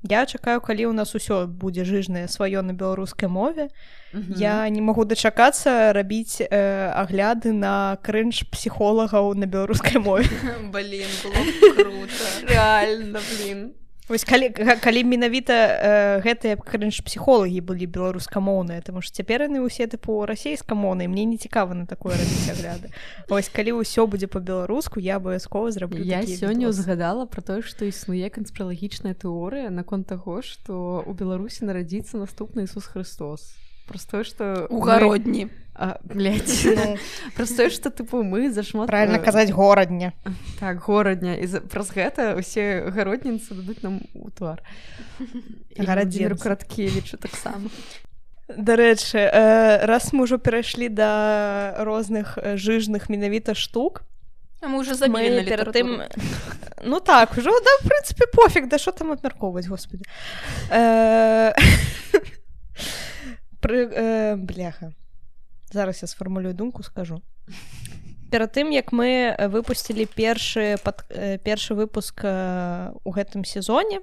Я чакаю, калі ў нас усё будзе жыжнае сваё на беларускай мове. Mm-hmm. Я не магу дачакацца рабіць э, агляды на крынж псіхолагаў на беларускай мове. Блин, было круто. Реально, блин. Вось калі, калі менавіта э, гэтыя крынж-псіхолагі былі беларускамоўныя, таму што цяпер яны ўсе тыпу расейскамоўныя, мне не цікава на такое рабіць агляды. Вось калі ўсё будзе па-беларуску, я абавязкова зраблю я такі сёння відос. Узгадала пра тое, што існуе канспіралагічная тэорыя наконт таго, што ў Беларусі нарадзіцца наступны Ісус Хрыстос. Просто што у гародні. А, блядь. Ну, просто што тыпу мы зашмат правильно казаць горадня. Так, горадня, і за... праз гэта усе гародніцы дадуць нам у твар. Гарадзінцу Краткевічу таксама. Дарэчы, э, раз мы ўжо перайшлі да розных жыжных менавіта штук, а мы уже забілі на літаратуру. Тым... Ну так, ужо, да, в прынцыпе, пофіг, да што там абмяркоўваць, господи. Э... Пры... Э, бляха. Зараз я сфармулюю думку, скажу. Перад тым, як мы выпусцілі першы, пад... першы выпуск у гэтым сезоне,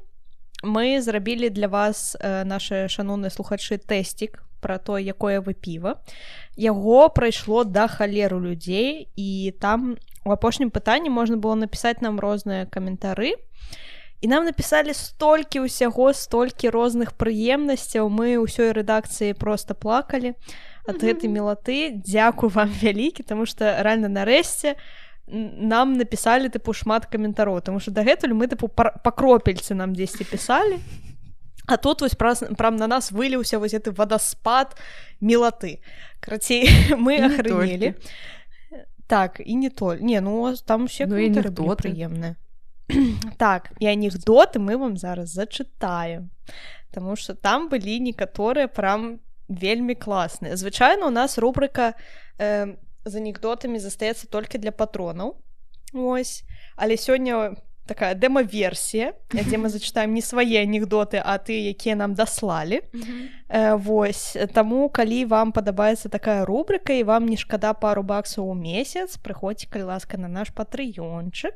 мы зрабілі для вас, нашы шаноўныя слухачы, тэсцік пра то, якое вы піва. Яго прайшло да халеру людзей, і там у апошнім пытанні можна было напісаць нам розныя каментары. І нам напісалі столькі ўсяго, столькі розных прыемнасцяў, мы ўсёй рэдакцыі проста плакалі ад mm-hmm. гэтай мілаты. Дзякуй вам вялікі, таму што рэальна нарэшце нам напісалі тыпу шмат каментароў, таму што дагэтуль мы тыпу па кропельцы нам дзесьці пісалі, а тут вось праз, прям на нас выліўся вось гэты вадаспад мілаты. Карацей, мы ахрынелі. Так, і не толь. Не, ну там усе каментары былі прыемныя. Так, і анекдоты мы вам зараз зачытаем, таму што там былі некаторыя прям вельмі класныя. Звычайна у нас рубрыка э, з анекдотамі застаецца толькі для патронаў. Ось, але сёння такая дэма-версія, дзе мы зачытаем не свае анекдоты, а тыя, якія нам даслалі. Mm-hmm. Э, вось, таму калі вам падабаецца такая рубрыка і вам не шкада пару баксаў у месяц, прыходзьце, калі ласка, на наш патрыёнчык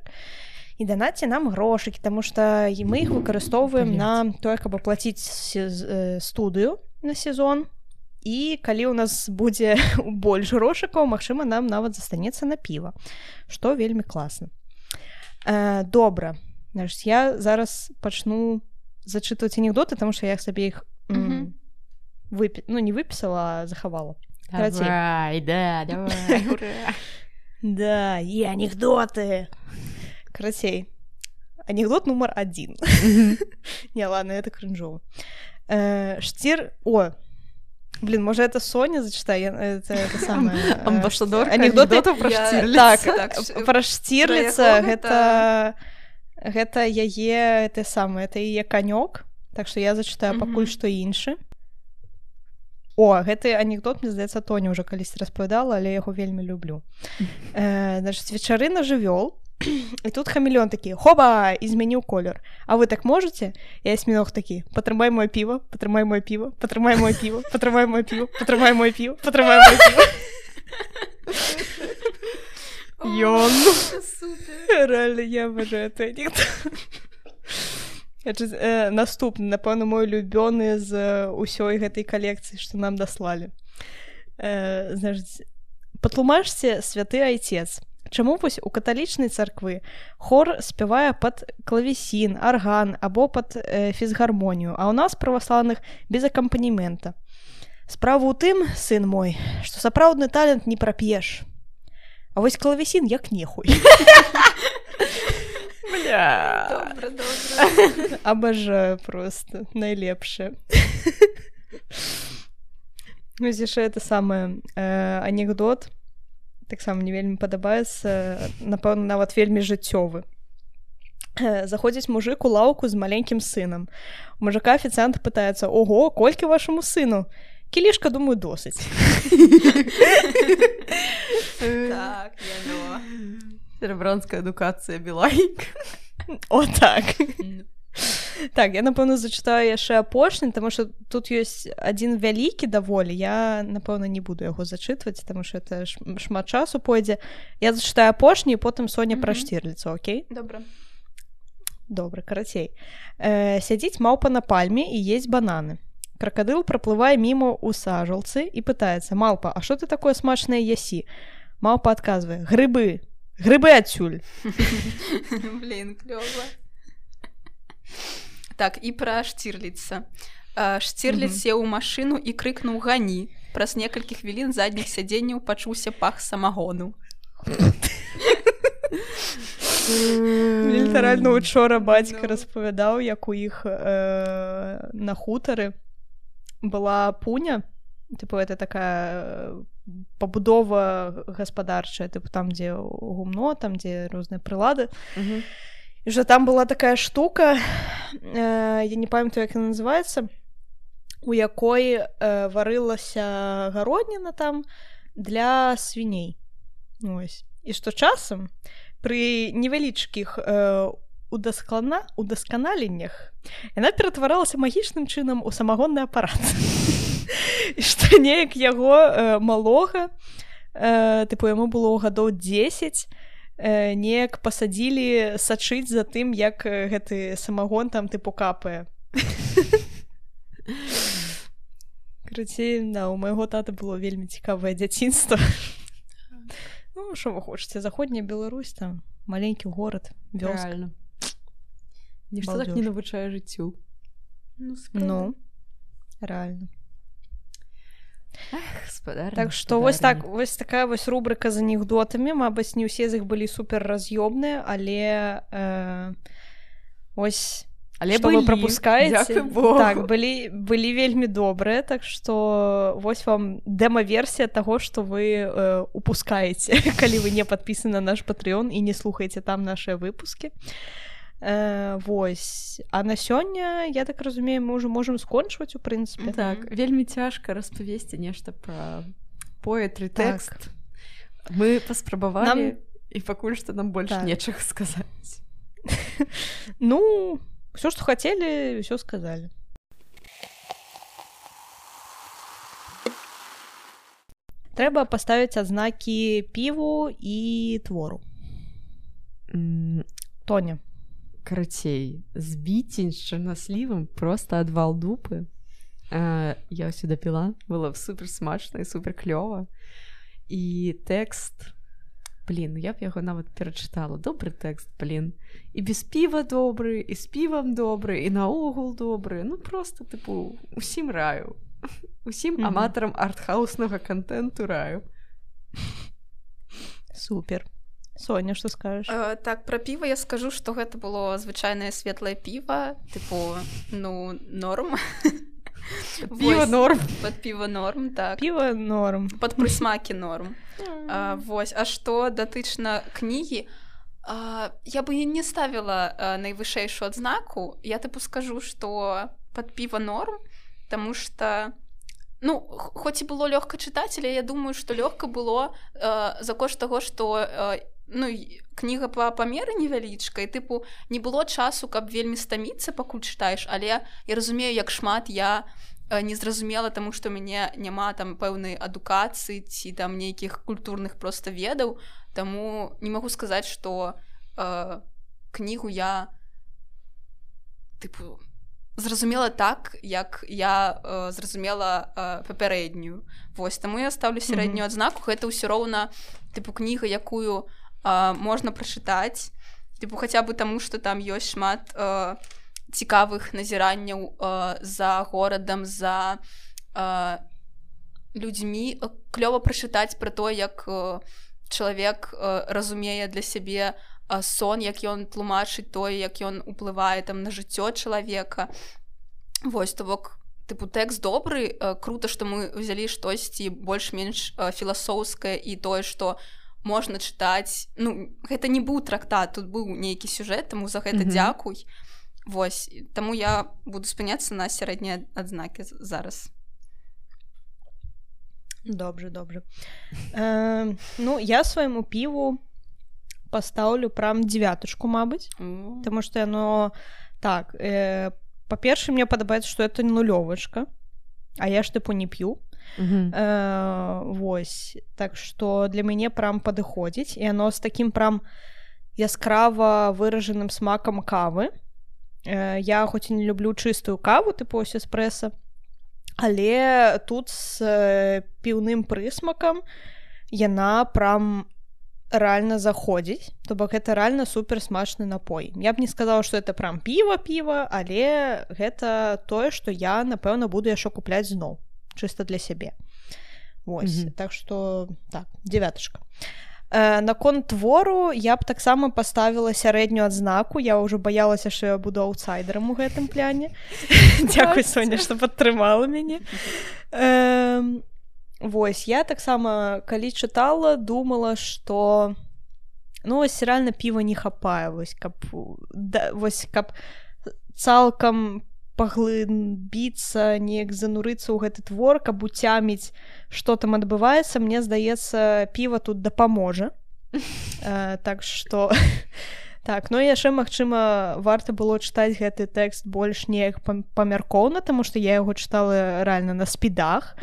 і данаце нам грошыкі, таму што мы іх выкарыстоўваем на тое, каб аплаціць студыю на сезон. І калі ў нас будзе больш грошыкаў, магчыма, нам нават застанецца на піва, што вельмі класна. Э, добра, значит, я зараз пачну зачытваць анекдоты, таму што я сабе іх mm-hmm. вып... ну, не выпісала, а захавала. Давай, да, давай, ура. Да, и анекдоты. Карацей. Анекдот номер один. Не, ладно, это кринжово. Штир... О, блин, может, это Соня зачитает? Это, это самое... Амбассадорка анекдоты анекдотов про я... Штирлица. Так, так про Штирлица, гэта... Гэта яе, это самое, это яе канёк. Так што я зачытаю пакуль што іншы. О, гэты анекдот, мне здаецца, Тоня ўжо калісьці распавядала, але яго вельмі люблю. Э, значит, вечарына жывёл, і тут хамелеон такі: хоба, і змяніў колер. А вы так можете? І асьміног такі: патрымай моё піва, патрымай моё піва, патрымай моё піва, патрымай моё піва, патрымай моё піва, патрымай моё піва. Ён. Реально, я абажаю гэты анекдот. Э, наступны, напэўна, мой улюбёны з усёй гэтай калекцыі, што нам даслалі. Э, значит, патлумачце, святы айцец, чаму вось у каталічнай царквы хор спявае пад клавесін, арган або пад э, фізгармонію, а ў нас праваслаўных без акампанемента. Справа ў тым, сын мой, што сапраўдны талент не прап'еш. А вось клавесін як нехуй. Бля. Добра, добра. Абажаю просто. Найлепшае. Вось яшчэ это самае э, анекдот. Таксама мне вельмі падабаецца. Напэўна, нават вельмі жыццёвы. Э, заходзіць мужик у лаўку з маленькім сынам. У мужика афіцыант пытаецца: ого, колькі вашаму сыну? Кілішка, думаю, досыць. Так, яно. Серебранская адукацыя Білайк. О, так. Так, я, напэўна, зачытаю яшчэ апошні, таму што тут ёсць адзін вялікі даволі. Я, напэўна, не буду яго зачытваць, таму што это шмат часу пойдзе. Я зачытаю апошні, і потым Соня пра Штірліца, окей? Добра. Добра, карацей. Э, сядзіць маўпа на пальме і есть бананы. Кракадыл праплывае мімо ў сажалцы і пытаецца: малпа, а што ты такое смачнае ясі? Маўпа адказвае: грыбы. Грыбы адсюль. Блин, клёва. Так, і пра Штірліца. Штірліц сеў у машыну і крыкнуў: гані. Праз некалькі хвілін задніх сядзенняў пачуўся пах самагону. Літаральна учора бацька распавядаў, як у іх на хутары была пуня. Типу, это такая пабудова гаспадарчая, типу, там, дзе гумно, там, дзе розныя прылады. Uh-huh. І вже там была такая штука, э, я не памятаю, як яна называецца, у якой э, варылася гародніна там для свіней. Ось. І што часам пры невялічкіх э, удаскана... удасканаленнях яна ператваралася магічным чынам у самагонны апарат. І што неяк яго э, малога, э, тыпу, яму было гадоў дзесяць, э, неяк пасадзілі сачыць за тым, як гэты самагон там тыпу капае. Карацей, да, у майго тата было вельмі цікавае дзяцінства. Ну, што вы хочаце, заходняя Беларусь, там маленькі горад, вёска. Реально. Нішто так не навучае жыццю. Ну, ну реально. Ах, спадарня, так што вось так, вось такая вось рубрика з анекдотамі. Мабыць, не ўсе з іх былі супер раз'ёбныя, але э, ось але што былі. Вы прапускаеце. Так, былі, былі вельмі добрыя, так што вось вам дэма-версія таго, што вы э, упускаеце, калі вы не падпісаны на наш Patreon і не слухаеце там нашыя выпускі. Э, вось. А на сёння, я так разумею, мы ўжо можам скончваць, у прынцыпе. Так, вельмі цяжка распавесці нешта пра поэтры, тэкст. Так. Мы паспрабавалі, нам... і пакуль што нам больш так. Нечага сказаць. Ну, ўсё, што хацелі, ўсё сказалі. Трэба паставіць адзнакі піву і твору. Mm. Тоня. Карацей, збіцень з чарнаслівым проста адвал дупы. А, я ўсё дапіла, было супер смачна і супер клёва. І тэкст, блин, я б яго нават перачытала. Добры тэкст, блин. І без піва добры, і з півам добры, і наогул добры. Ну, проста, тыпу, усім раю. Усім Мгм. аматарам артхауснага контенту раю. Супер. Соня, што скажаш? Э, так, пра піва я скажу, што гэта было звычайнае светлае піва, тыпу, ну, норм. Піва Вось, норм. Пад піва норм, так. Піва норм. Пад прысмакі норм. А, вось, а што датычна кнігі, а, я бы і не ставіла а, найвышэйшую адзнаку. Я тыпу скажу, што пад піва норм, таму што ну, х- хоць і было лёгка чытаць, але я думаю, што лёгка было а, за кошт таго, што а, ну, і кніга па памеры невялічка, і тыпу не было часу, каб вельмі стаміцца, пакуль чытаеш, але я разумею, як шмат я а, не зразумела, таму што ў мяне няма там пэўнай адукацыі ці там нейкіх культурных проста ведаў, таму не магу сказаць, што а, кнігу я тыпу зразумела так, як я э, зразумела э, папярэднюю. Вось, таму я ставлю сярэднюю адзнаку. Гэта ўсё роўна тыпу кніга, якую э, можна прачытаць, тыпу хаця бы таму, што там ёсць шмат э, цікавых назіранняў э, за горадам, за э, людзьмі. Клёва прачытаць пра то, як э, чалавек э, разумее для сябе сон, як ён тлумачыць тое, як ён уплывае там на жыццё чалавека. Вось, то бок, тыпу, тэкст добры, крута, што мы ўзялі штосьці больш-менш філасофскае і тое, што можна чытаць. Ну, гэта не быў трактат, тут быў нейкі сюжэт, таму за гэта Мгм. дзякуй. Вось, таму я буду спыняцца на сярэднія адзнакі з- зараз. Добре, добре. Е, ну, я свайму піву пастаўлю прям дзевятачку, мабыць. М. Потому что оно так, э, по-перше, мне падабаецца, что это нулёвачка, а я ж тыпу не п'ю. Мгм. Э, вось, так что для мяне прям падыходзіць, і оно з таким прям яскрава выражаным смакам кавы. Э, я хоць і не люблю чыстую каву, тыпу ось эспрэса, але тут з э, піўным прысмакам яна прям рэальна заходзіць, то бок гэта рэальна супер смачны напой. Я б не сказала, што это прям піва піва, але гэта тое, што я напэўна буду яшчэ купляць зноў, чыста для сябе. Вось, Мгм. так што так, дзевятачка. Э, наконт твору я б таксама паставіла сярэднюю адзнаку. Я ўжо баялася, што я буду аўтсайдерам у гэтым пляне. Дзякуй, Соня, што падтрымала мяне. Э, Вось, я таксама, калі чытала, думала, што ну, вось рэальна піва не хапае, вось, каб, да, вось, каб цалкам паглыбіцца, неяк занурыцца ў гэты твор, каб уцяміць, што там адбываецца, мне здаецца, піва тут дапаможа. Э, так што... Так, ну яшчэ, магчыма, варта было чытаць гэты тэкст больш неяк пам- памяркоўна, таму што я яго чытала рэальна на спідах.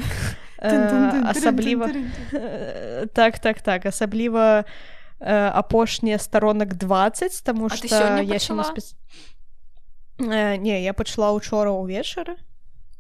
Э, асабліва Э, так, так, так, асабліва э, апошнія старонак дваццаць, таму А што ты сёння я ще не пачала? спец... э, не, я пачала учора ўвечары.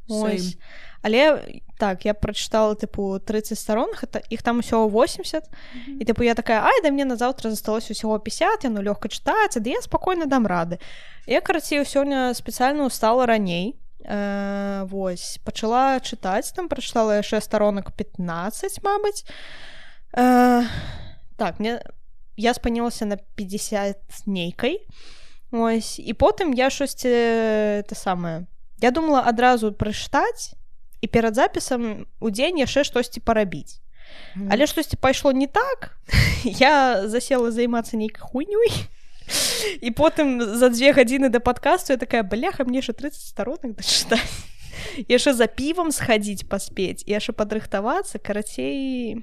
Ось. Але так, я прачытала тыпу тридцать старонак, это іх там усього восемьдесят. І тыпу я такая, ай, да мне на заўтра засталось усього пятьдесят, яно лёгка чытаецца, да я спакойна дам рады. Я, карацей, сёння спецыяльна устала раней. Э, вось, пачала чытаць, там прачытала яшчэ старонак пятнадцать, мабыць. Э, так, мне... я спынілася на пятьдесят нейкай. Ось, і потым я штосьці это самае. Я думала адразу прачытаць і перад запісам у дзень яшчэ штосьці парабіць. Але штосьці пайшло не так. Я засела займацца нейкай хуйнёй. І потым за две гадзіны да падкасту я такая, бляха, мне яшчэ тридцать старонак дачытаць. Яшчэ за півам схадзіць паспець, і яшчэ падрыхтавацца, карацей...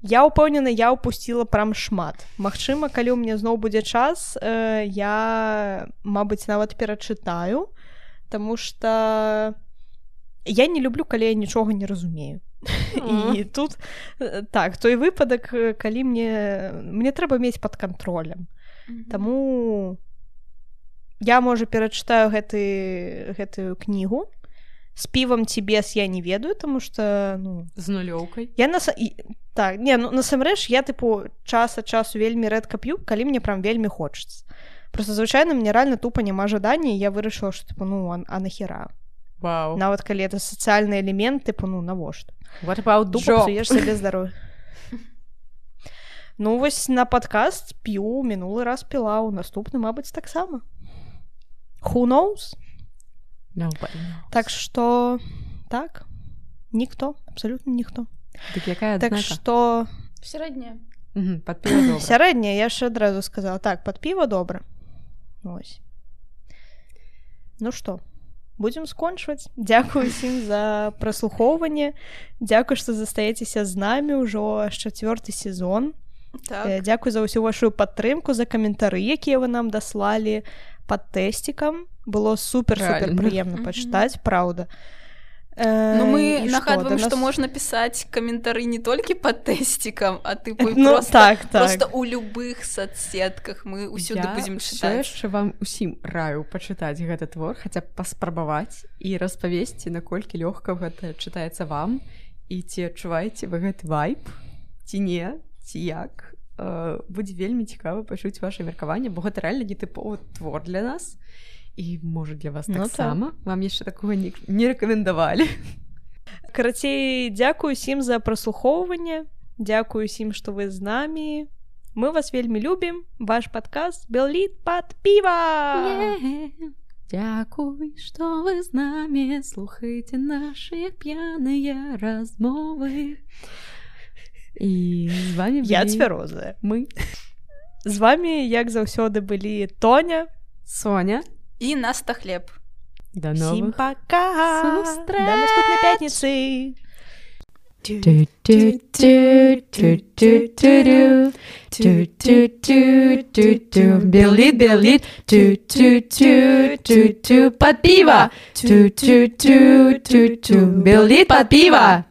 Я ўпэўнена, я ўпусціла прям шмат. Магчыма, калі ў мяне зноў будзе час, э, я, мабыць, нават перачытаю, таму што я не люблю, калі я нічога не разумею. І тут, э, так, той выпадак, э, калі мне... Мне трэба мець пад кантролем. Таму я, можа, перачытаю гэты, гэтую кнігу. З півам ці без я не ведаю, таму што, ну... З нулёўкай. Я нас... і- Так, не, ну, насамрэч, я, тыпу, час ад часу вельмі рэдка п'ю, калі мне прям вельмі хочацца. Просто, звычайна, мне рэальна тупа няма жадання, і я вырашыла, што, тыпу, ну, а, а нахера? Вау. Нават калі это сацыяльны элемент, тыпу, ну, навошта? What about Тупо job? псуеш сабе здароўе. Ну, вось на падкаст п'ю, мінулы раз піла, у наступны, мабыць, таксама. Who knows? Nobody knows. Так што, так, ніхто, абсалютна ніхто. Так якая Так адзнака? што... Сярэдняя. Мгм, пад піва добра. Сярэдняя, я яшчэ адразу сказала. Так, пад піва добра. Ось. Ну што, будзем скончваць. Дзякую ўсім за праслухоўванне. Дзякую, што застаецеся з намі ўжо аж чацвёрты сезон. Так. Дзякую за ўсю вашу падтрымку, за каментары, якія вы нам даслалі пад тэсцікам. Было супер-супер прыемна пачытаць, праўда. Ну, мы І нагадваем, што, што нас... можна пісаць каментары не толькі пад тэсцікам, а тыпу Ну, просто, так, так. просто ў любых соцсетках мы ўсюды Я будзем ўсё чытаць. яшчэ вам усім раю пачытаць гэты твор, хаця б паспрабаваць і распавесці, наколькі лёгка гэта чытаецца вам, і ці адчуваеце вы гэты вайб, ці не, ці як. Э, будзе вельмі цікава пачуць ваше меркаванне, бо гэта рэальна нетыповы твор для нас, і, можа, для вас Ну, таксама. Так. Вам яшчэ такога не, не рэкамендавалі. Карацей, дзякую усім за праслухоўванне. Дзякую усім, што вы з намі. Мы вас вельмі любім. Ваш падкаст Белліт пад піва. Yeah. Дзякуй, што вы з намі. Слухайце нашыя п'яныя размовы. І з вами былі... Я цвярозая. Мы. З вами, як заўсёды, былі Тоня, Соня. І Наста Хлеб. До Всім новых пока! сустрэч! До наступнай пятніцы! Беллит, беллит, под пиво! Беллит под пиво!